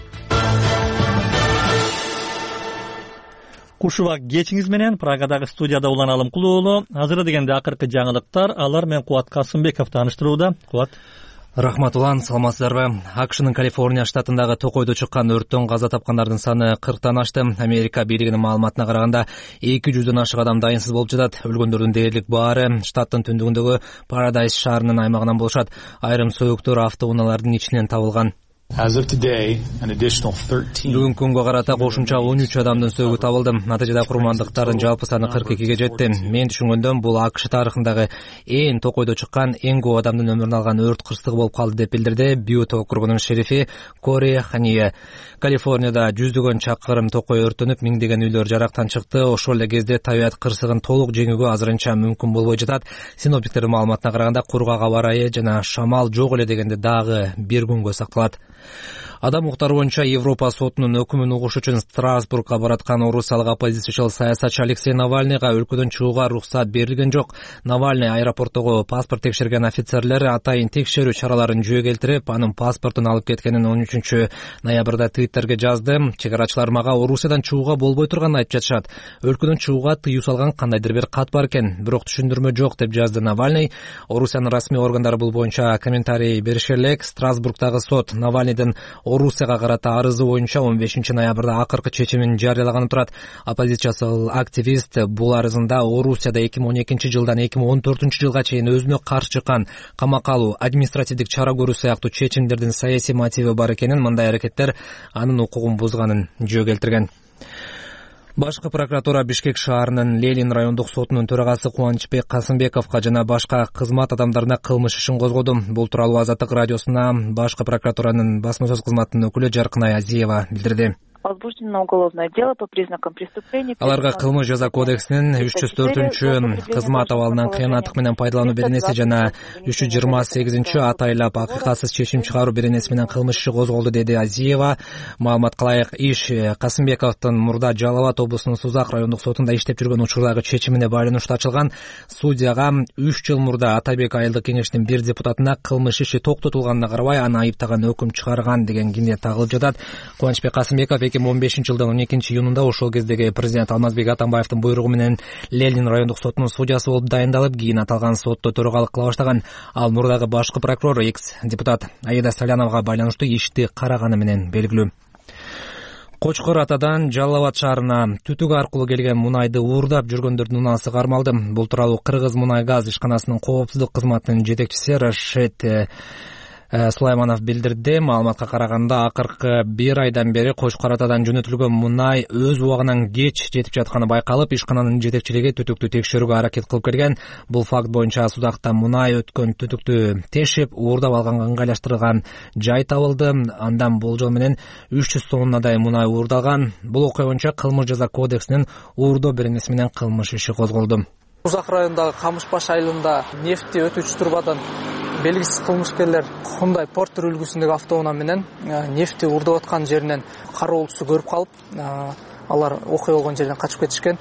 Кушубак кечиңиз менен Прагадагы студияда Улан Алымкулуу уулу. Азыр дегенде акыркы жаңылыктар, алар менен Кубат Касымбеков тааныштырууда. Кубат. Рахмат Улан, саламатсыздарбы? АКШнын Калифорния штатындагы токойдо чыккан өрттөн каза тапкандардын саны 40тан ашты. Америка бийлигинин маалыматына караганда 200дөн ашык адам дайынсыз болуп жатат. Өлгөндөрдүн дээрлик баары штаттын түндүгүндөгү Paradise шаарынын аймагынан болушат. Айрым сөйүктөр автоунаалардын ичинен табылган. Бүгүнкү күнгө карата кошумча 13 адамдын сөөгү табылды. Натыйжада курмандыктардын жалпы саны 42ге жетти. Мен түшүнгөндөн бул АКШ тарыхындагы эң токойдо чыккан, эң көп адамдын өмүрүн алган өрт кырсыгы болуп калды деп билдирди Бьют округунун шерифи Кори Хания. Калифорнияда жүздөгөн чакырым токой өрттөнүп, миңдеген үйлөр жарактан чыкты. Ошол эле кезде табиат кырсыгын толук жеңүүгө азырынча мүмкүн болбой жатат. Синоптиктердин маалыматына караганда кургак аба ырайы жана шамал жок эле дегенде дагы бир күнгө сакталат. Адам укуктары боюнча Европа сотунун өкүмүн угуш үчүн Страсбургга бараткан орусиялык оппозициячыл саясатчы Алексей Навальныйга өлкөдөн чыгууга уруксат берилген жок. Навальный аэропорттогу паспорт текшерген офицерлер атайын текшерүү чараларын жүйө келтирип, анын паспортун алып кеткенин 13 ноябрда Twitterге жазды. Чегарачылар мага Орусиядан чыгууга болбой турганын айтып жатышат. Өлкөдөн чыгууга тыюу салган кандайдыр бир кат бар экен, бирок түшүндүрмө жок деп жазды Навальный. Орусиянын расмий органдары бул боюнча комментарий бериши элек. Страсбургдагы сот Навальныйдын Орусияга карата арызы боюнча 15 ноябрда акыркы чечимин жарыялаганы турат. Оппозициячыл активист бул арызында Орусияда 2012 жылдан 2014 жылга чейин өзүнө каршы чыккан камакка алуу, административдик чара көрүү сыяктуу чечимдердин саясий мотиви бар экенин, мындай аракеттер анын укугун бузганын жөө келтирген. Башкы прокуратура Бишкек шаарынын Ленин райондук сотунун төрагасы Кубанычбек Касымбековго жана башка кызмат адамдарына кылмыш ишин козгоду. Бул тууралуу Азаттык радиосуна башкы прокуратуранын басма сөз кызматынын өкүлү Жаркынай Азиева билдирди. Возбуждено уголовное дело по признакам преступления. Аларга кылмыш жаза кодексинин 304 кызмат абалынан кыянаттык менен пайдалануу беренеси жана 328 атайлап акыйкатсыз чечим чыгаруу беренеси менен кылмыш иши козголду, деди Азиева. Маалымат кылайык, иш Касымбековдун мурда Жалал абад облусунун Сузак райондук сотунда иштеп жүргөн учурдагы чечимине байланыштуу ачылган. Судьяга 3 жыл мурда Атайбек айылдык кеңештин бир депутатына кылмыш иши токтотулганына карабай аны айыптаган өкүм чыгарган деген кине тагылып жатат. Кубанычбек Касымбеков 2015 жылдын 12 июнунда ошол кездеги президент Алмазбек Атамбаевдин буйругу менен Ленин райондук сотунун судьясы болуп дайындалып, кийин аталган сотто төрагалык кыла баштаган. Ал мурдагы башкы прокурор экс-депутат Аида Саляновага байланыштуу ишти караганы менен белгилүү. Кочкор Атадан Жалал абад шаарына түтүк аркылуу келген мунайды уурдап жүргөндөрдүн унаасы кармалды. Бул тууралуу Кыргыз мунай газ ишканасынын коопсуздук кызматынын жетекчиси Рашид Сулайманов билдирди. Маалыматка караганда акыркы 1 айдан бери Кочкор Атадан жөнөтүлгөн мунай өз убагынан кеч жетип жатканы байкалып, ишкананын жетекчилиги түтүктү текшерүүгө аракет кылып келген. Бул факт боюнча Судакта мунай өткөн түтүктү тешип, уурдап алганга ыңгайлаштырылган жай табылды. Андан болжол менен 300 тоннадай мунай уурдалган. Бул окуя боюнча кылмыш жаза кодексинин уурдоо беренеси менен кылмыш иши козголду. Сузак районундагы Камышбаш айылында нефти өтүүчү турбадан белгисиз кылмышкерлер Хундай Портер үлгүсүндөгү автоунаа менен нефти уурдап аткан жеринен кароолчусу көрүп калып, алар окуя болгон жерден качып кетишкен.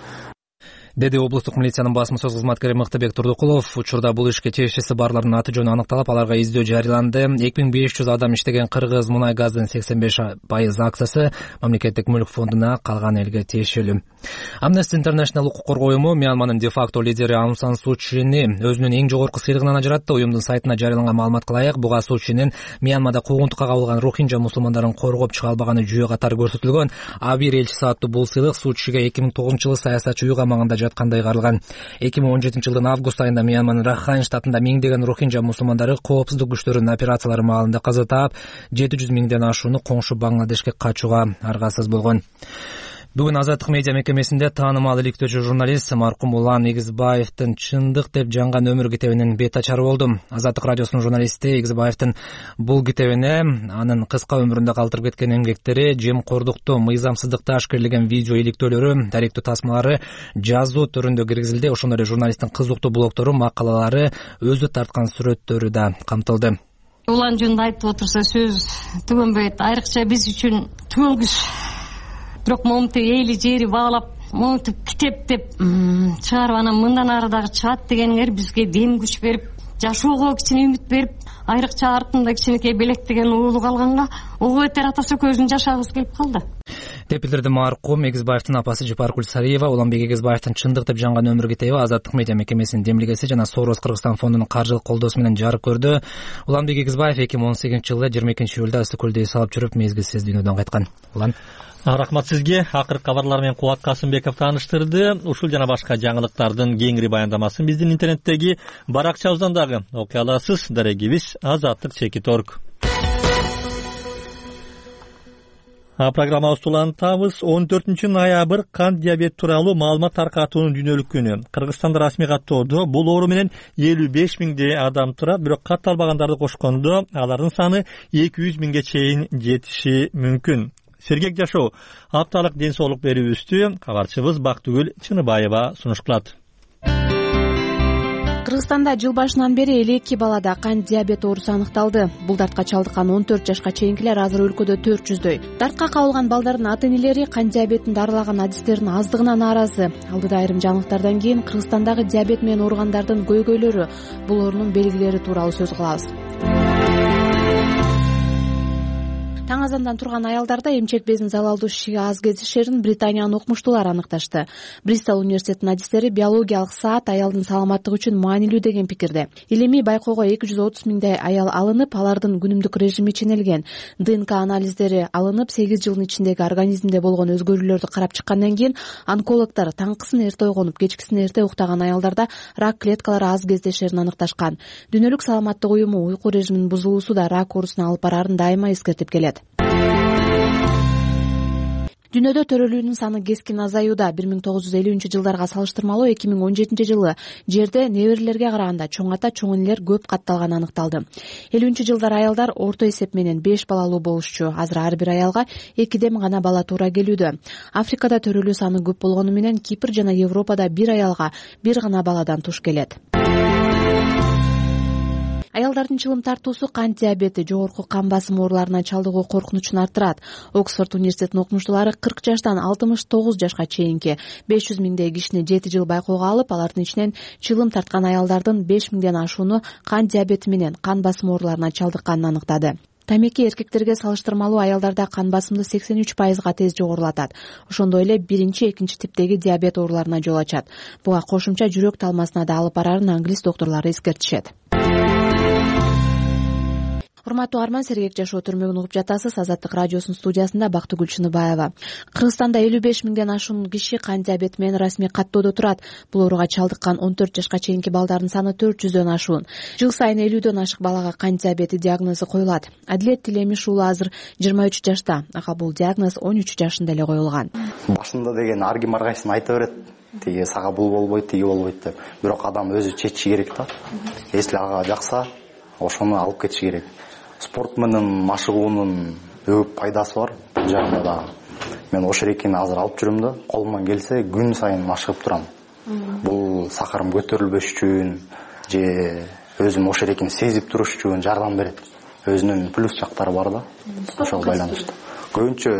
деди облустук милициянын басма сөз кызматкери Мыктыбек Турдукулов. Учурда бул ишке тиешеси барлардын аты жөнү аныкталып, аларга издөө жарыяланды. 2500 адам иштеген Кыргыз мунай газдын 85% акциясы мамлекеттик мүлк фондуна, калган элге тиешелүү. Amnesty International укук коргоо уюму Мьянманын де-факто лидери Аун Сан Су Чини өзүнүн эң жогорку сыйлыгынан ажыратты. Уюмдун сайтына жарыяланган маалыматка ылайык, буга Су Чинин Мьянмада куугунтукка кабылган рохинжа мусулмандарын коргоп чыга албаганы жүйө катары көрсөтүлгөн. Абир элчиси аттуу бул сыйлык Су Чинге 2009-жылы саясатчы үй камагында жаткандай каралган. 2017-жылдын август айында Мьянманын Рахайн штатында миңдеген рохинжа мусулмандары коопсуздук күчтөрүнүн операциялары маалында каза таап, 700 миңден ашууну коңшу Бангладешке качууга аргасыз болгон. Бүгүн Азаттык медиа мекемесинде таанымал иликтөөчү журналист маркум Улан Эгизбаевдин Чындык деп жанган өмүр китебинин бет ачары болду. Азаттык радиосунун журналисти Эгизбаевдин бул китебине анын кыска өмүрүндө калтырып кеткен эмгектери, жемкордукту, мыйзамсыздыкты ашкерлеген видео иликтөөлөрү, даректүү тасмалары жазуу түрүндө киргизилди. Ошондой эле журналисттин кызыктуу блогтору, макалалары, өзү тарткан сүрөттөрү да камтылды. Улан жөнүндө айтып отурса сөз түгөнбөйт. Айрыкча биз үчүн түгөлгүч. Бирок момунтип эли жери баалап, момунтип китеп деп чыгарып, анан мындан ары дагы чыгат дегениңер бизге дем күч берип, жашоого кичине үмүт берип, айрыкча артында кичинекей белек деген уулу калганга ого бетер ата сөкөзүн жашагыбыз келип калды. Деп билдирди маркум Эгизбаевдин апасы Жипаркуль Сариева. Уланбек Эгизбаевдин Чындык деп жанган өмүр китеби Азаттык медиа мекемесинин демилгеси жана Сорос Кыргызстан фондунун каржылык колдоосу менен жарык көрдү. Уланбек Эгизбаев 2018-жылы 22-июлда ысык көлдө эс алып жүрүп мезгилсиз дүйнөдөн кайткан. Улан, рахмат сизге. Акыркы кабарлар менен Кубат Касымбеков тааныштырды. Ушул жана башка жаңылыктардын кеңири баяндамасын биздин интернеттеги баракчабыздан дагы окуй аласыз. Дарегибиз azatlyk.org. Программабызды улантабыз. 14 ноябрь кант диабет тууралуу маалымат таркатуунун дүйнөлүк күнү. Кыргызстанда расмий каттоодо бул оору менен 55 миңдей адам турат, бирок катталбагандарды кошкондо алардын саны 200 миңге чейин жетиши мүмкүн. Сергек жашоо апталык ден соолук берүүбүздү кабарчыбыз Бактыгүл Чыныбаева сунушталат. Кыргызстанда жыл башынан бери 52 балада кант диабет оорусу аныкталды. Бул дартка чалдыккан 14 жашка чейинкилер азыр өлкөдө 400дөй. Дартка кабылган балдардын ата-энелери кант диабетин дарылаган адистердин аздыгына нааразы. Алдыда айрым жаңылыктардан кийин Кыргызстандагы диабет менен ооругандардын көйгөйлөрү, бул оорунун белгилери тууралуу сөз кылабыз. Таң азандан турган аялдарда эмчек безин залалдуу шишиге аз кездешерин Британиянын окумуштуулары аныкташты. Бристол университетинин адистери биологиялык саат аялдын саламаттыгы үчүн маанилүү деген пикирде. Илимий байкоого 230 миңдей аял алынып, алардын күнүмдүк режими ченелген. ДНК анализдери алынып, 8 жылдын ичиндеги организмде болгон өзгөрүүлөрдү карап чыккандан кийин онкологдор таңкысын эрте ойгонуп, кечкисин эрте уктаган аялдарда рак клеткалары аз кездешерин аныкташкан. Дүйнөлүк саламаттык уюму уйку режиминин бузулуусу да рак оорусуна алып барарын дайыма эскертип келет. Дүйнөдө төрөлүүнүн саны кескин азаюуда. 1950-жылдарга салыштырмалуу 2017-жылы жерде неберелерге караганда чоң ата, чоң энелер көп катталганы аныкталды. 50-жылдар аялдар орто эсеп менен 5 балалуу болушчу. Азыр ар бир аялга 2ден гана бала туура келүүдө. Африкада төрөлүү саны көп болгону менен Кипр жана Европада бир аялга бир гана баладан туш келет. Аялдардын чылым тартуусу кант диабети, жогорку кан басым ооруларына чалдыгуу коркунучун арттырат. Оксфорд университетинин окумуштуулары 40 жаштан 69 жашка чейинки 500 миңдей кишини 7 жыл байкоого алып, алардын ичинен чылым тарткан аялдардын 5 миңден ашууну кант диабети менен кан басым ооруларына чалдыкканын аныктады. Тамеки эркектерге салыштырмалуу аялдарда кан басымды 83%га тез жогорулатат. Ошондой эле биринчи, экинчи типтеги диабет ооруларына жол ачат. Буга кошумча жүрөк талмасына да алып барарын англис доктурлары эскертишет. Урматтуу арман, Сергек жашоо түрмөгүн угуп жатасыз. Азаттык радиосунун студиясында Бактыгүл Чыныбаева. Кыргызстанда 55 миңден ашуун киши кант диабети менен расмий каттоодо турат. Бул ооруга чалдыккан 14 жашка чейинки балдардын саны 400дөн ашуун. Жыл сайын 50дөн ашык балага кант диабети диагнозу коюлат. Адилет Тилемиш уулу азыр 23 жашта. Ага бул диагноз 13 жашында эле коюлган. Башында деген ар ким ар кайсын айта берет. Тиги сага бул болбойт, тиги болбойт деп. Бирок адам өзү чечиши керек да. Если ага жакса, ошону алып кетиши керек. Спорт менен машыгуунун көп пайдасы бар. Бул жагында да мен ошерекини азыр алып жүрөм да, колуман келсе күн сайын машыгып турам. Бул сахарым көтөрүлбөш үчүн же өзүм ошерекини сезип туруш үчүн жардам берет. Өзүнүн плюс жактары бар да. Ошого байланыштуу. Көбүнчө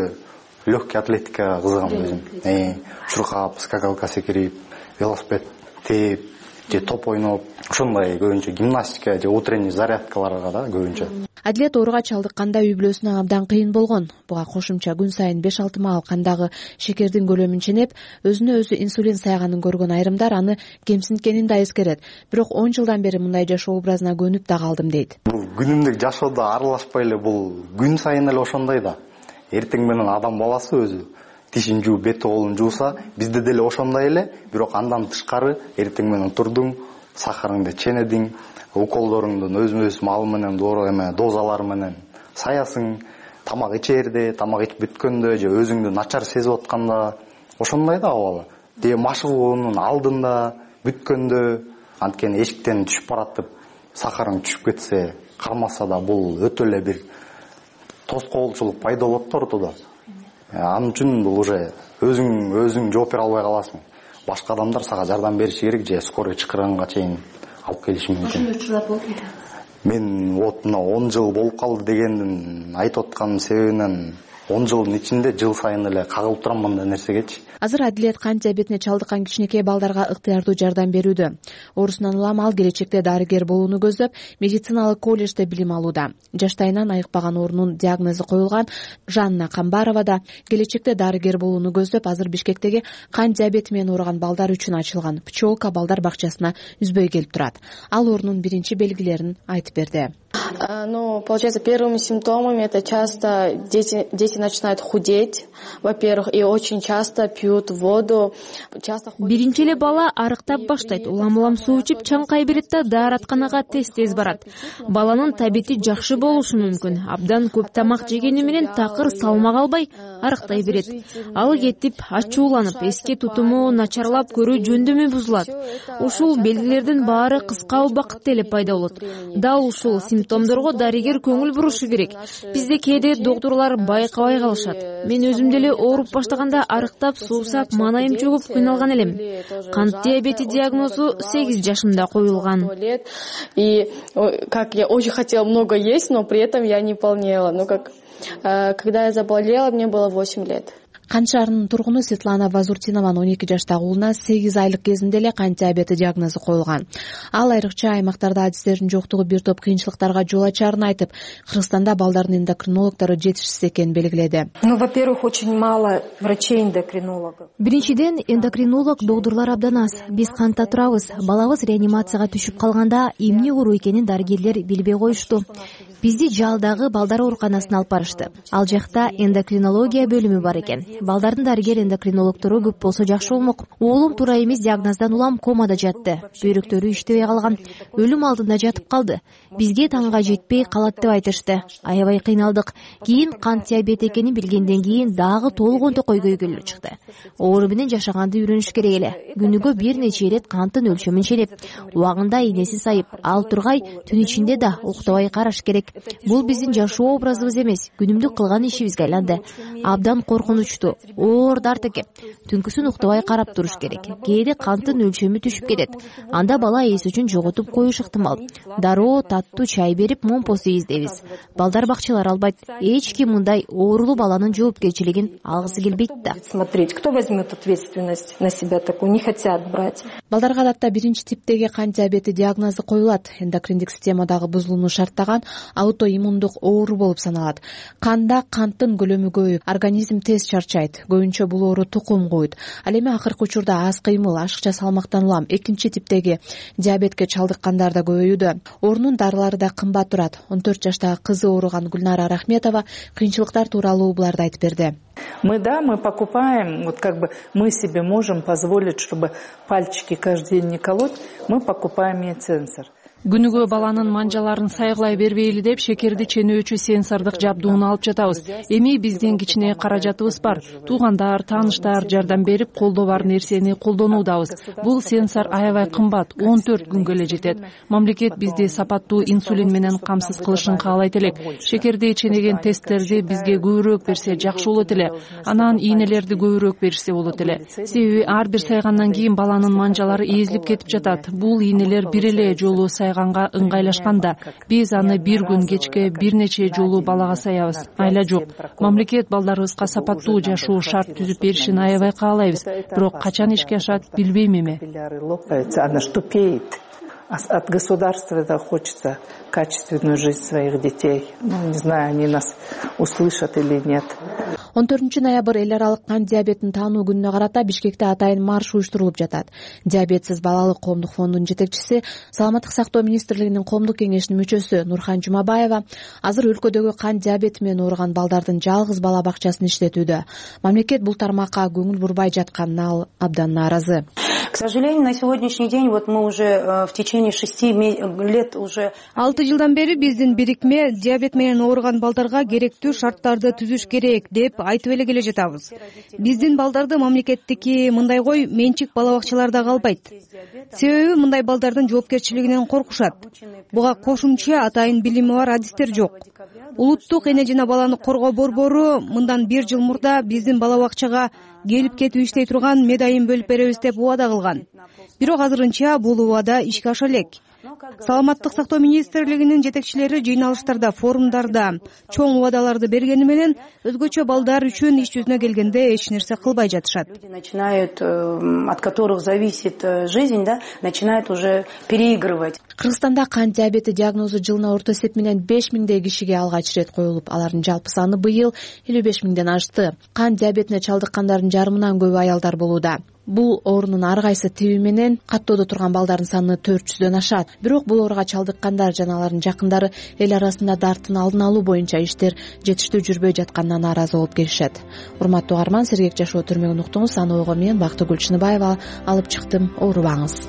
легкий атлетика кызыгам өзүм. Чуркап, скакалка секирип, велосипед тээп же топ ойноп, ошондой көбүнчө гимнастика же утренний зарядкаларга да көбүнчө. Адилет ооруга чалдыкканда үй бүлөсүнө абдан кыйын болгон. Буга кошумча күн сайын 5-6 маал кандагы шекердин көлөмүн ченеп, өзүнө өзү инсулин саяганын көргөн айрымдар аны кемсинткенин да эскерет. Бирок 10 жылдан бери мындай жашоо образына көнүп да калдым дейт. Бул күнүмдүк жашоодо аралашпай эле, бул күн сайын эле ошондой да. Эртең менен адам баласы өзү тишин жууп, бети колун жууса, бизде деле ошондой эле, бирок андан тышкары эртең менен турдуң, сахарыңды ченедиң, уколдоруңдун өзмө-өз мал менен дозалар менен саясың, тамак ичерде, тамак ичип бүткөндө же өзүңдү начар сезип атканда ошондой да абалы. Же машыгуунун алдында, бүткөндө, анткени эшиктен түшүп баратып, сахарың түшүп кетсе, кармаса да бул өтө эле бир тоскоолчулук пайда болот да ортодо. Анын үчүн бул уже өзүң жооп бере албай каласың. Башка адамдар сага жардам бериши керек же скорый чакырганга чейин алып келиши мүмкүн. Ошондой учурлар болду. Мен вот мына 10 жыл болуп калды дегендин айтып атканын себебинен 10 жылдын ичинде жыл сайын эле кагылып турам мындай нерсегечи. Азыр Адилет кант диабетине чалдыккан кичинекей балдарга ыктыярдуу жардам берүүдө. Орусунан улам ал келечекте дарыгер болууну көздөп, медициналык колледжде билим алууда. Жаштайынан айыкпаган оорунун диагнозу коюлган Жанна Камбарова да келечекте дарыгер болууну көздөп, азыр Бишкектеги кант диабети менен ооруган балдар үчүн ачылган Пчелка балдар бакчасына үзбөй келип турат. Ал оорунун биринчи белгилерин айтып берди. Ну, получается, первыми симптомами это часто дети начинают худеть, во-первых, и очень часто пьют воду. Биринчи эле бала арыктап баштайт, улам суу ичип чаңкай берет да дааратканага тез барат. Баланын табити жакшы болушу мүмкүн. Абдан көп тамак жегени менен такыр салмак албай арыктай берет. Ал кетип, ачууланып, эске тутуму начарлап, көрүү жөндөмү бузулат. Ушул белгилердин баары кыска убакытта эле пайда болот. Дал ушул симптомдорго дарыгер көңүл бурушу керек. Бизде кээде доктурлар байкабай калышат. Мен өзүм деле ооруп баштаганда арыктап, суусап, манайым чөгүп кыйналган элем. Кант диабети диагнозу 8 жашымда коюлган. И как я очень хотела много есть, но при этом я не полнела. Ну как когда я заболела, мне было 8 лет. Кант шаарынын тургуну Светлана Вазуртинованын 12 жаштагы уулуна 8 айлык кезинде эле кант диабети диагнозу коюлган. Ал айрыкча аймактарда адистердин жоктугу бир топ кыйынчылыктарга жол ачарын айтып, Кыргызстанда балдардын эндокринологдору жетишсиз экенин белгиледи. Ну, во-первых, очень мало врачей-эндокринологов. Биринчиден, эндокринолог доктурлар абдан аз. Биз кантта турабыз. Балабыз реанимацияга түшүп калганда эмне оору экенин дарыгерлер билбей коюшту. Бизди жалдагы балдар ооруканасына алып барышты. Ал жакта эндокринология бөлүмү бар экен. Балдардын дарыгер эндокринологтору көп болсо жакшы болмок. Уулум туура эмес диагноздан улам комада жатты. Бөйрөктөрү иштебей калган. Өлүм алдында жатып калды. Бизге таңга жетпей калат деп айтышты. Аябай кыйналдык. Кийин кант диабети экенин билгенден кийин дагы толгон токой көйгөлү чыкты. Оору менен жашаганды үйрөнүш керек эле. Күнүгө бир нече ирет канттын өлчөмүн ченеп, убагында ийнеси сайып, ал тургай түн ичинде да уктабай караш керек. Бул биздин жашоо образыбыз эмес, күнүмдүк кылган ишибизге айланды. Абдан коркунучтуу, оор дарт экен. Түнкүсүн уктабай карап туруш керек. Кээде канттын өлчөмү түшүп кетет. Анда бала эс үчүн жоготуп коюшу ыктымал. Дароо, таттуу чай берип, момпосу издейбиз. Балдар бакчалар албайт. Эч ким мындай оорулуу баланын жоопкерчилигин алгысы келбейт да. Смотреть, кто возьмет ответственность на себя такую, не хотят брать. Балдарга адатта биринчи типтеги кант диабети диагнозу коюлат. Эндокриндик системадагы бузулууну шарттаган аутоиммундук оору болуп саналат. Канда канттын көлөмү көбөйүп, организм тез чарчайт. Көбүнчө бул оору тукум куйт. Ал эми акыркы учурда аз кыймыл, ашыкча салмактан улам экинчи типтеги диабетке чалдыккандар да көбөйүүдө. Оорунун дарылары да кымбат турат. 14 жаштагы кызы ооруган Гүлнара Рахметова кыйынчылыктар тууралуу буларды айтып берди. Мы покупаем, вот как бы мы себе можем позволить, чтобы пальчики каждый день не колоть, мы покупаем медсенсор. Күнүгө баланын манжаларын сайгылай бербейли деп шекерди ченөөчү сенсордук жабдууну алып жатабыз. Эми биздин кичине каражатыбыз бар. Туугандар, тааныштар жардам берип, колдо бар нерсени колдонуудабыз. Бул сенсор аябай кымбат, 14 күнгө эле жетет. Мамлекет бизди сапаттуу инсулин менен камсыз кылышын каалайт элек. Шекерди ченеген тесттерди бизге көбүрөөк берсе жакшы болот эле. Анан ийнелерди көбүрөөк беришсе болот эле. Себеби ар бир сайгандан кийин баланын манжалары эзилип кетип жатат. Бул ийнелер бир эле жолу сайганга ыңгайлашканда биз аны бир күн кечке бир нече жолу балага саябыз. Айла жок. Мамлекет балдарыбызга сапаттуу жашоо шарт түзүп беришин аябай каалайбыз. Бирок качан ишке ашат билбейм эми. Она ж тупеет. От государства это хочется качественную жизнь своих детей. Не знаю, они нас услышат или нет. 14-ноябрь эл аралык кант диабетин таануу күнүнө карата Бишкекте атайын марш уюштурулуп жатат. Диабетсиз балалык коомдук фондунун жетекчиси, Саламаттык сактоо министрлигинин коомдук кеңешинин мүчөсү Нурхан Жумабаева азыр өлкөдөгү кант диабети менен ооруган балдардын жалгыз бала бакчасын иштетүүдө. Мамлекет бул тармакка көңүл бурбай жатканына ал абдан нааразы. К сожалению, на сегодняшний день вот мы уже в течение 6 лет уже 6 жылдан бери биздин бирикме диабет менен ооруган балдарга керектүү шарттарды түзүш керек деп айтып эле келе жатабыз. Биздин балдарды мамлекеттики мындайгой менчик бала бакчаларда калбайт. Себеби мындай балдардын жоопкерчилигинен коркушат. Буга кошумча атайын билими бар адистер жок. Улуттук эне жана баланы коргоо борбору мындан 1 жыл мурда биздин бала бакчага келип кетип иштей турган медайын бөлүп беребиз деп убада кылган. Бирок азырынча бул убада ишке аша элек. Саламаттык сактоо министрлигинин жетекчилери жыйналыштарда, форумдарда чоң убадаларды бергени менен өзгөчө балдар үчүн иш жүзүнө келгенде эч нерсе кылбай жатышат. Начинают, от которых зависит жизнь, да, начинают уже переигрывать. Кыргызстанда кант диабети диагнозу жылына орто эсеп менен 5000 кишиге алгач ирет коюлуп, алардын жалпы саны быйыл 55 ашты. Кант диабетине чалдыккандардын жарымынан көбү аялдар болууда. Бул оорунун ар кайсы тиби менен каттоодо турган балдардын саны 400дөн ашат. Бирок бул ооруга чалдыккандар жана алардын жакындары эл арасында дарттын алдын алуу боюнча иштер жетиштүү жүрбөй жатканына нааразы болуп келишет. Урматтуу угарман, сергек жашоо түрмөгүн уктуңуз. Аны ойго мен Бактыгүл Чыныбаева алып чыктым. Оорубаңыз.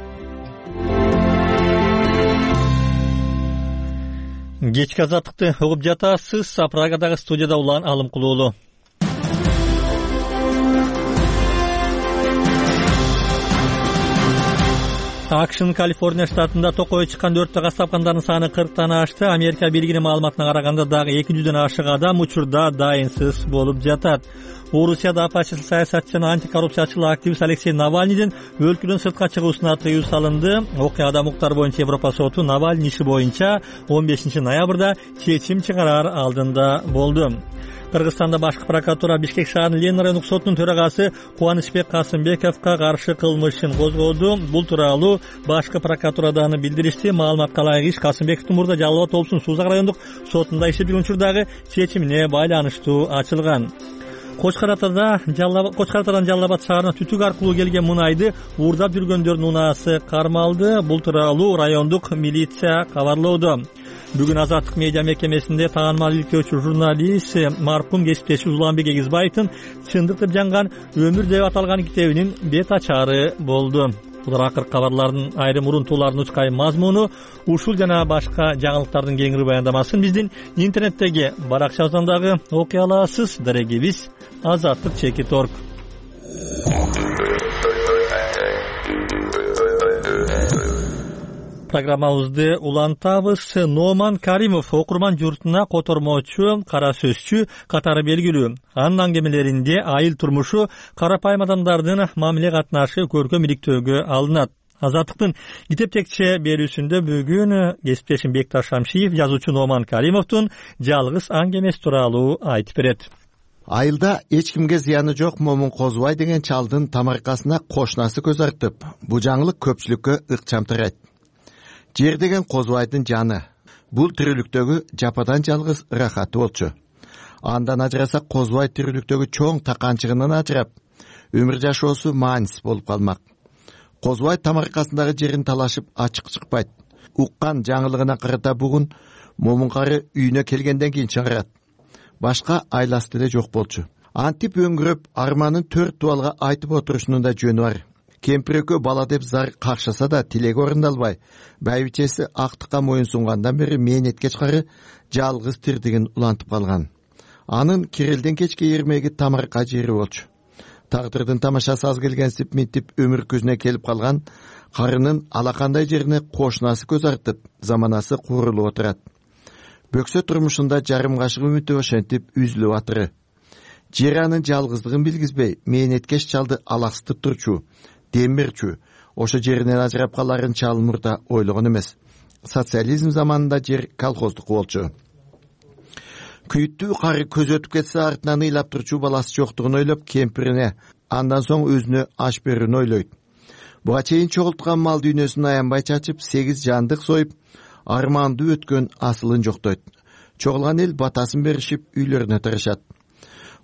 Кечки азаттыкты угуп жатасыз. Прагадагы студияда Улан Алымкулуулу. AQShnын Калифорния штатында токойго чыккан өрттө газ тапкандардын саны 40тан ашты. Америка бийлигинин маалыматына караганда дагы 200дөн ашык адам учурда дайынсыз болуп жатат. Орусияда апачыл саясатчы жана антикоррупциячыл активист Алексей Навальныйдын өлкөдөн сыртка чыгуусуна тыюу салынды. Окуяда УКМК боюнча Европа соту Навальный иши боюнча 15 ноябрда чечим чыгарар алдында болду. Кыргызстанда башкы прокуратура Бишкек шаарынын Ленин райондук сотунун төрагасы Кубанычбек Касымбековго каршы кылмыш ишин козгоду. Бул тууралуу башкы прокуратурадан билдиришти. Маалыматка ылайык иш Касымбековдун мурда Жалал Абад облусунун Сузак райондук сотунда иштеп жүргөн учурдагы чечимине байланыштуу ачылган. Кочкаратадан Жалал Абад шаарына түтүк аркылуу келген мунайды уурдап жүргөндөрдүн унаасы кармалды. Бул тууралуу райондук милиция кабарлоодо. Бүгүн Азаттык медиа мекемесинде таанымал илкөөчү журналист маркум кесиптеши Уланбек Эгизбаевдин чындыктып жанган өмүр деп аталган китебинин бет ачары болду. Булар акыркы кабарлардын айрым урунтуулардын учкай мазмуну, ушул жана башка жаңылыктардын кеңири баяндамасын биздин интернеттеги баракчабыздан дагы окуй аласыз. Дарегибиз azatlyk.org. Программабызды улантабыз. Номан Каримов окурман журтуна котормочу, кара сөзчү катары белгилүү. Анын аңгемелеринде айыл турмушу, карапайым адамдардын мамиле катнашы көркөм иликтөөгө алынат. Азаттыктын китептекче берүүсүндө бүгүн кесиптешим Бекташ Шамшиев жазуучу Номан Каримовдун жалгыз аңгемеси тууралуу айтып берет. Айылда эч кимге зыяны жок Момун Козубай деген чалдын тамаркасына кошунасы көз артып, бул жаңылык көпчүлүккө ыкчам тарайт. Жер деген Козубайдын жаны. Бул тирүүлүктөгү жападан жалгыз рахаты болчу. Андан ажырасак Козубай тирүүлүктөгү чоң таканчыгынан ажырап, өмүр жашоосу маанисиз болуп калмак. Козубай тамаркасындагы жерин талашып ачык чыкпайт. Уккан жаңылыгына карата бугун Момун кары үйүнө келгенден кийин чыгарат. Башка айласы деле жок болчу. Антип өңгүрөп арманын 4 туалга айтып отурушунун да жөнү бар. Кемпирекөө бала деп зар какшаса да тилеги орундалбай, байбичеси актыкка моюн сунгандан бери мээнетке чыкары жалгыз тирдигин улантып калган. Анын Кирелден кечке эрмеги тамарка жери болчу. Тагдырдын тамашасы аз келгенсип минтип өмүр көзүнө келип калган карынын алакандай жерине кошунасы көз артып, заманасы куурулуп отурат. Бөксө турмушунда жарым кашык үмүтү ошентип үзүлүп атыры. Жер анын жалгыздыгын билгизбей, мээнеткеш чалды алаксытып турчу, демирчү, ошо жеринен ажырап каларын чал мурда ойлогон эмес. социализм заманында жер колхоздук болчу. Күйүттүү кары көз өтүп кетсе артынан ыйлап турчу баласы жоктугун ойлоп кемпирине, андан соң өзүнө аш берүүнү ойлойт. Буга чейин чогулткан мал дүйнөсүн аянбай чачып, 8 жандык союп, арманды өткөн асылын жоктойт. Чогулган эл батасын беришип, үйлөрүнө тарашат.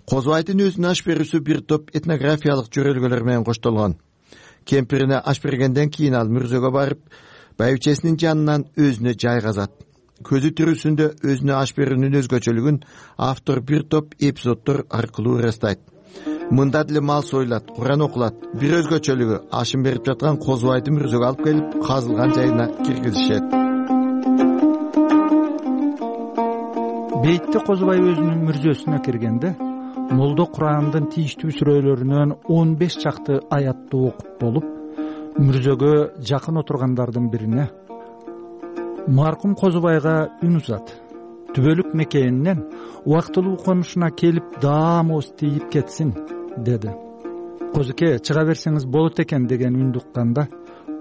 Козубайдын өзүнө аш берүүсү бир топ этнографиялык жөрөлгөлөр менен коштолгон. Кемпирине аш бергенден кийин ал мүрзөгө барып, байбичесинин жанынан өзүнө жай казат. Көзү тирүүсүндө өзүнө аш берүүнүн өзгөчөлүгүн автор бир топ эпизоддор аркылуу ырастайт. Мында деле мал союлат, Куран окулат. Бир өзгөчөлүгү ашын берип жаткан Козубайды мүрзөгө алып келип, казылган жайына киргизишет. Бейтте Козубай өзүнүн мүрзөсүнө киргенде, Молдо Курандын тийиштүү сүрөлөрүнөн 15 чакты аятты окуп болуп, мүрзөгө жакын отургандардын бирине маркум Козубайга үн узат. Түбөлүк мекенинен убактылуу конушуна келип даамыбыз тийип кетсин, деди. Козуке, чыга берсеңиз болот экен деген үндү укканда,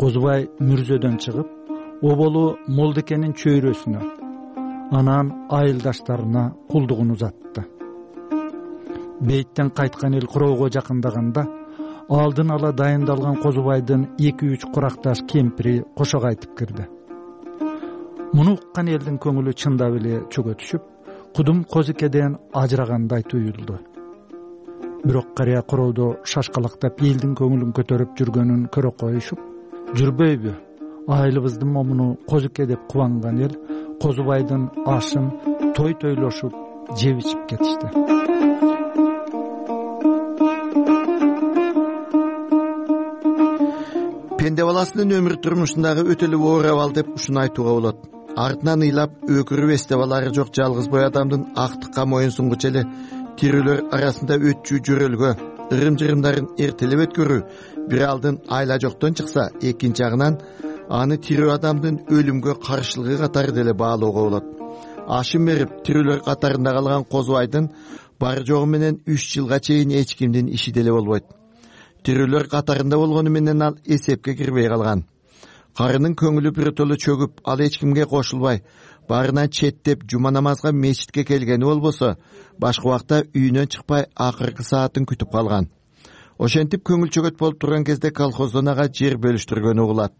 Козубай мүрзөдөн чыгып, оболу Молдекенин чөйрөсүнө, анан айылдаштарына кулдугун узатты. Бейттен кайткан эл куроого жакындаганда, алдын ала дайындалган Козубайдын 2-3 куракташ кемпири кошо кайтып кирди. Муну уккан элдин көңүлү чындап эле чөгө түшүп, кудум Козукеден ажырагандай туюлду. Бирок карыя куроодо шашкалактап элдин көңүлүн көтөрүп жүргөнүн көрө коюшуп, жүрбөйбү, айылыбыздын момуну Козуке деп кубанган эл Козубайдын ашын тойлошуп жеп ичип кетишти. Пенде баласынын өмүр турмушундагы өтө эле оор абал деп ушуну айтууга болот. Артынан ыйлап өкүрүп эсте балары жок жалгыз бой адамдын актыкка моюн сунгучу эле тирүүлөр арасында өтчү жөрөлгө, ырым-жырымдарын эртелеп өткөрүү бир алдын айла жоктон чыкса, экинчи жагынан аны тирүү адамдын өлүмгө каршылыгы катары деле баалоого болот. Ашын берип тирүүлөр катарында калган Козубайдын бар жогу менен 3 жылга чейин эч кимдин иши деле болбойт. Тирүүлөр катарында болгону менен ал эсепке кирбей калган. Карынын көңүлү биротоло чөгүп, ал эч кимге кошулбай, барынан четтеп жума намазга мечитке келгени болбосо, башка убакта үйүнөн чыкпай акыркы саатын күтүп калган. Ошентип көңүл чөгөт болуп турган кезде колхоздон ага жер бөлүштүргөнү угулат.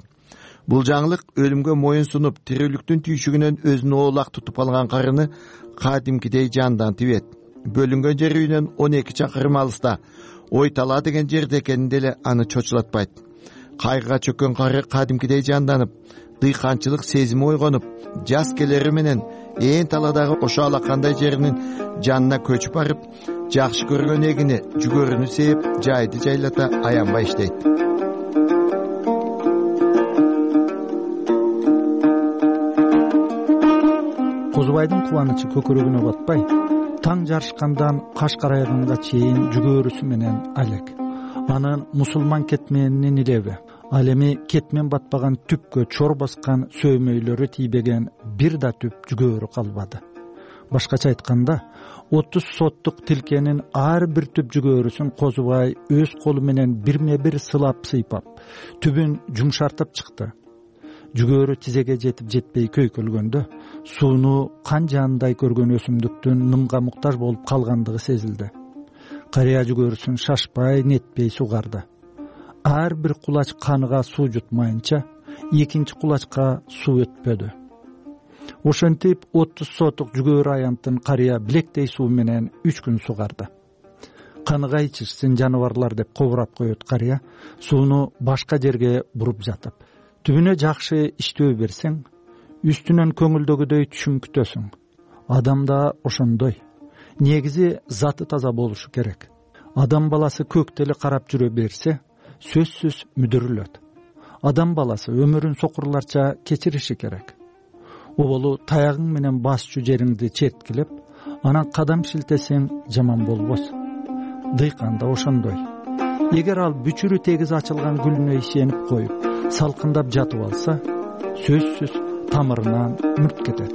Бул жаңылык өлүмгө моюн сунуп, тирүүлүктүн түйшүгүнөн өзүн оолак тутуп алган карыны кадимкидей жандан тибет. Бөлүнгөн жер үйүнөн 12 чакырым алыста, Ойтала деген жерде экени деле аны чочулатпайт. Кайгыга чөккөн кары кадимкидей жанданып, дыйканчылык сезими ойгонуп, жас келери менен ээн таладагы ошо алакандай жеринин жанына көчүп барып, жакшы көргөн эгини, жүгөрүнү сээп, жайды жайлата аянбай иштейт. Козубайдын кубанычы көкөрөгүнө батпай, таң жарышкандан каш карайганга чейин жүгөрүсү менен алек. Анын мусулман кетменинин илеби, ал эми кетмен батпаган түпкө чор баскан сөөмөйлөрү тийбеген бир да түп жүгөрү калбады. Башкача айтканда, 30 соттук тилкенин ар бир түп жүгөрүсүн Козубай өз колу менен бирме-бир сылап сыйпап, түбүн жумшартып чыкты. Жүгөрү тизеге жетип жетпей көйкөлгөндө, сууну кан жанындай көргөн өсүмдүктүн нымга муктаж болуп калгандыгы сезилди. Карыя жүгөрүсүн шашпай, нетпей сугарды. Ар бир кулач каныга суу жутмайынча, экинчи кулачка суу өтпөдү. Ошентип 30 сотук жүгөрү аянтын карыя билектей суу менен 3 күн сугарды. Каныга ичишсин жаныбарлар деп кобурап коет карыя, сууну башка жерге буруп жатып. Түбүнө жакшы иштөө берсең, үстүнөн көңүлдөгүдөй түшүм күтөсүң. Адам да ошондой. Негизи заты таза болушу керек. Адам баласы көктө эле карап жүрө берсе, сөзсүз мүдүрүлөт. Адам баласы өмүрүн сокурларча кечириши керек. Оболу таягың менен басчу жериңди черткилеп, анан кадам шилтесең жаман болбос. Дыйкан да ошондой. Эгер ал бүчүрү тегиз ачылган гүлүнө ишенип коюп, салкындап жатып алса, сөзсүз тамырынан мүрт кетет.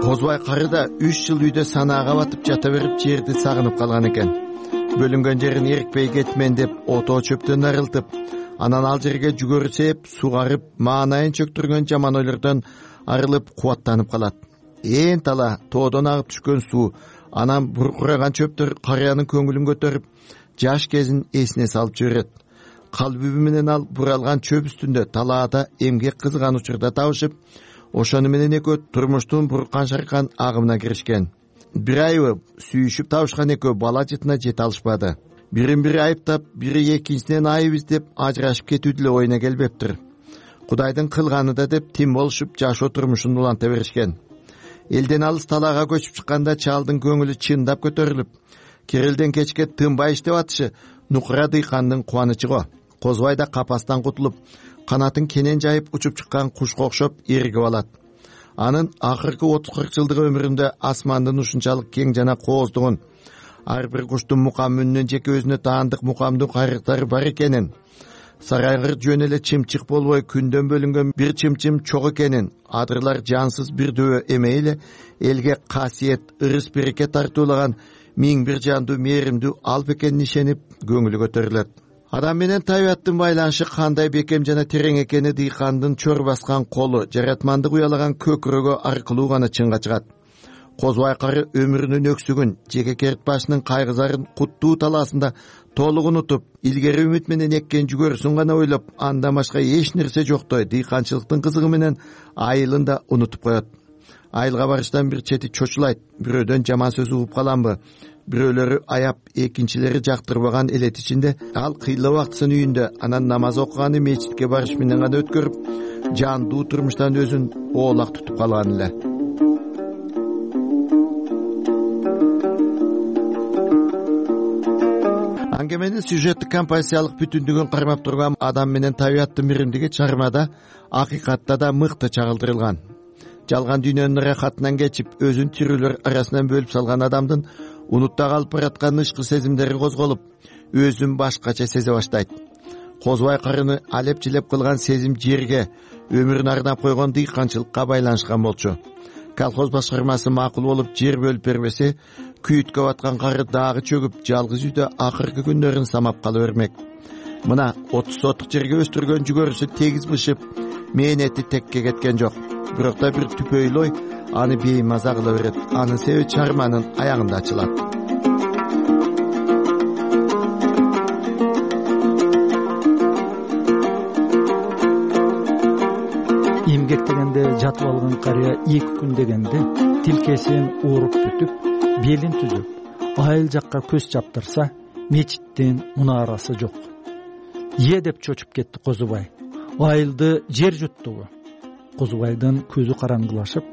Козубай карыда 3 жыл үйдө санаага батып жата берип жерди сагынып калган экен. Бөлүнгөн жерин эрикпей кетмен деп ото чөптөн арылтып, Анан ал жерге жүгөрү сээп, сугарып, маанайын чөктүргөн жаман ойлордон арылып, кубаттанып калат. Ээн тала тоодон агып түшкөн суу, анан буркураган чөптөр карыянын көңүлүн көтөрүп, жаш кезин эсине салып жиберет. Калбүбү менен ал буралган чөп үстүндө талаада эмгек кызган учурда табышып, ошону менен экөө турмуштун буркан шаркан агымына киришкен. Бир айыбы сүйүшүп табышкан экөө бала жытына жете алышпады. Бирин бири айыптап, бири экинчисинен айып издеп ажырашып кетүү деле оюна келбептир. Кудайдын кылганы да деп тим болушуп жашоо турмушун уланта беришкен. Элден алыс талаага көчүп чыкканда чалдын көңүлү чындап көтөрүлүп, керелден кечке тынбай иштеп атышы нукура дыйкандын кубанычы го. Козубай да капастан кутулуп, канатын кенен жайып учуп чыккан кушка окшоп эригип алат. Анын акыркы 30-40 жылдык өмүрүндө асмандын ушунчалык кең жана кооздугун, ар бир куштун мукам үнүнөн жеке өзүнө таандык мукамдуу кайрыктары бар экенин, сарайгыр жөн эле чымчык болбой күндөн бөлүнгөн бир чымчым чок экенин, адырлар жансыз бир дөбө эмей эле элге касиет, ырыс береке тартуулаган миң бир жандуу мээримдүү алп экенин ишенип көңүлү көтөрүлөт. Адам менен табияттын байланышы кандай бекем жана терең экени дыйкандын чор баскан колу, жаратмандык уялаган көкүрөгү аркылуу гана чынга чыгат. Козубай кары өмүрүнүн өксүгүн, жеке керт башынын кайгызарын куттуу талаасында толук унутуп, илгери үмүт менен эккен жүгөрүсүн гана ойлоп, андан башка эч нерсе жоктой дыйканчылыктын кызыгы менен айылын да унутуп коет. Айылга барыштан бир чети чочулайт, бирөөдөн жаман сөз угуп каламбы, бирөөлөрү аяп, экинчилери жактырбаган элет ичинде ал кыйла убактысын үйүндө, анан намаз окуганы мечитке барыш менен гана өткөрүп, жандуу турмуштан өзүн оолак тутуп калган эле. Аңгеменин сюжеттик композициялык бүтүндүгүн кармап турган адам менен табияттын миримдиги чыгармада акыйкатта да мыкты чагылдырылган. Жалган дүйнөнүн рахатынан кечип, өзүн тирүүлөр арасынан бөлүп салган адамдын унутта калып бараткан ышкы сезимдери козголуп, өзүн башкача сезе баштайт. Козубай карыны алеп-жилеп кылган сезим жерге, өмүрүн арнап койгон дыйканчылыкка байланышкан болчу. Колхоз башкармасы макул болуп жер бөлүп бербесе, күйүткө баткан кары дагы чөгүп, жалгыз үйдө акыркы күндөрүн самап кала бермек. Мына 30 сотук жерге өстүргөн жүгөрүсү тегиз бышып, мээнети текке кеткен жок. Бирок да бир түпөйлөй аны беймаза кыла берет. Анын себеби чарманын аягында ачылат. Эмгектегенде жатып алган карыя 2 күн дегенде тилкесин ууруп бүтүп, белин түзүп, айыл жакка көз чаптырса, мечиттин мунарасы жок. Деп чочуп кетти Козубай. Айылды жер жуттубу? Козубайдын көзү караңгылашып,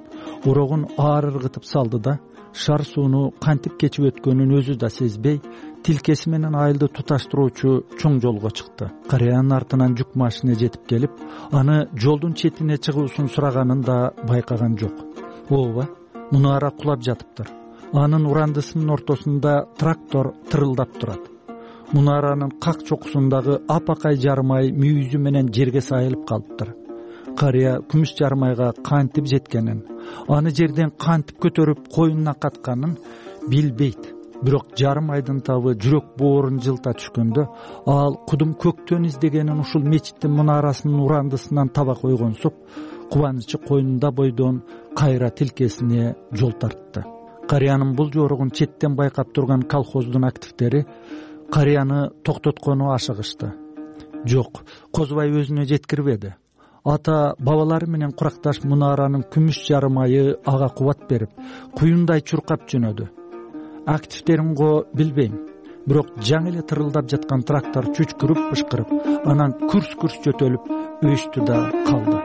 урогун аар ыргытып салды да, шар сууну кантип кечип өткөнүн өзү да сезбей, тилкеси менен айылды туташтыруучу чоң жолго чыкты. Карыянын артынан жүк машина жетип келип, аны жолдун четине чыгуусун сураганын да байкаган жок. Ооба, мунара кулап жатыптыр. Анын урандысынын ортосунда трактор тырылдап турат. Мунаранын как чокусундагы апакай жармай мүйүзү менен жерге сайылып калыптыр. Карыя күмүш жармайга кантип жеткенин, аны жерден кантип көтөрүп коюнуна катканын билбейт. Бирок жармайдын табы жүрөк боорун жылта түшкөндө, ал кудум көктөн издегенин ушул мечиттин мунарасынын урандысынан таба койгонсуп, кубанычы коюнунда бойдон кайра тилкесине жол тартты. Карыянын бул жоругун четтен байкап турган колхоздун активдери карыяны токтоткону ашыгышты. Жок, Козубай өзүнө жеткирбеди. Ата бабалары менен куракташ мунаранын күмүш жармайы ага кубат берип, куюндай чуркап жөнөдү. Активдерин го билбейм. Бирок жаңы эле тырылдап жаткан трактор чүчкүрүп бышкырып, анан күрс-күрс жөтөлүп өстү да калды.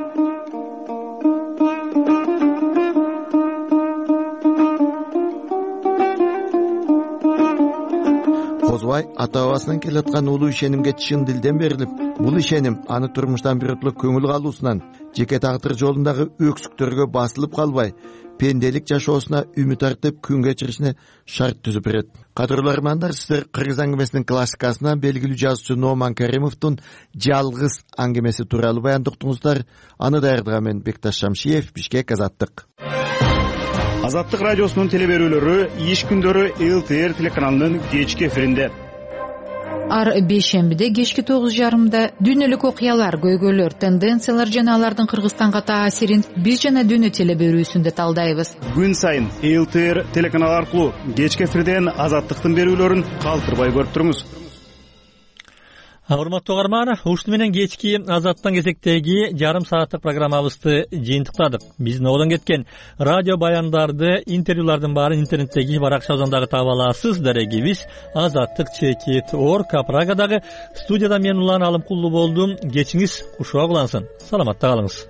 Козубай ата бабасынан келаткан улуу ишенимге чын дилден берилип, бул ишеним аны турмуштан биротоло көңүл калуусунан, жеке тагдыр жолундагы өксүктөргө басылып калбай, пенделик жашоосуна үмүт артып күн кечиришине шарт түзүп берет. Кадырлуу армандар, сиздер Кыргыз аңгемесинин классикасынан белгилүү жазуучу Номан Каримовдун Жалгыз аңгемеси тууралуу баяндоктуңуздар. Аны даярдаган мен Бекташ Шамшиев, Бишкек, Азаттык. Азаттык радиосунун телеберүүлөрү иш күндөрү ЛТР телеканалынын кечки эфиринде. ар бейшембиде кечки 9:30 дүйнөлүк окуялар, көйгөйлөр, тенденциялар жана алардын Кыргызстанга таасирин биз жана дүйнө телеберүүсүндө талдайбыз. Күн сайын ЛТР телеканалы аркылуу кечки эфирден Азаттыктын берүүлөрүн калтырбай көрүп туруңуз. Урматтуу угарман, ушуну менен кечки Азаттын кезектеги жарым сааттык программабызды жыйынтыктадык. Биздин одон кеткен радио баяндарды, интервьюлардын баарын интернеттеги баракчабыздан дагы таба аласыз. Дарегибиз azattik.org. Прагадагы студияда мен Улан Алымкулуу болдум. Кечиңиз кушуак улансын. Саламатта калыңыз.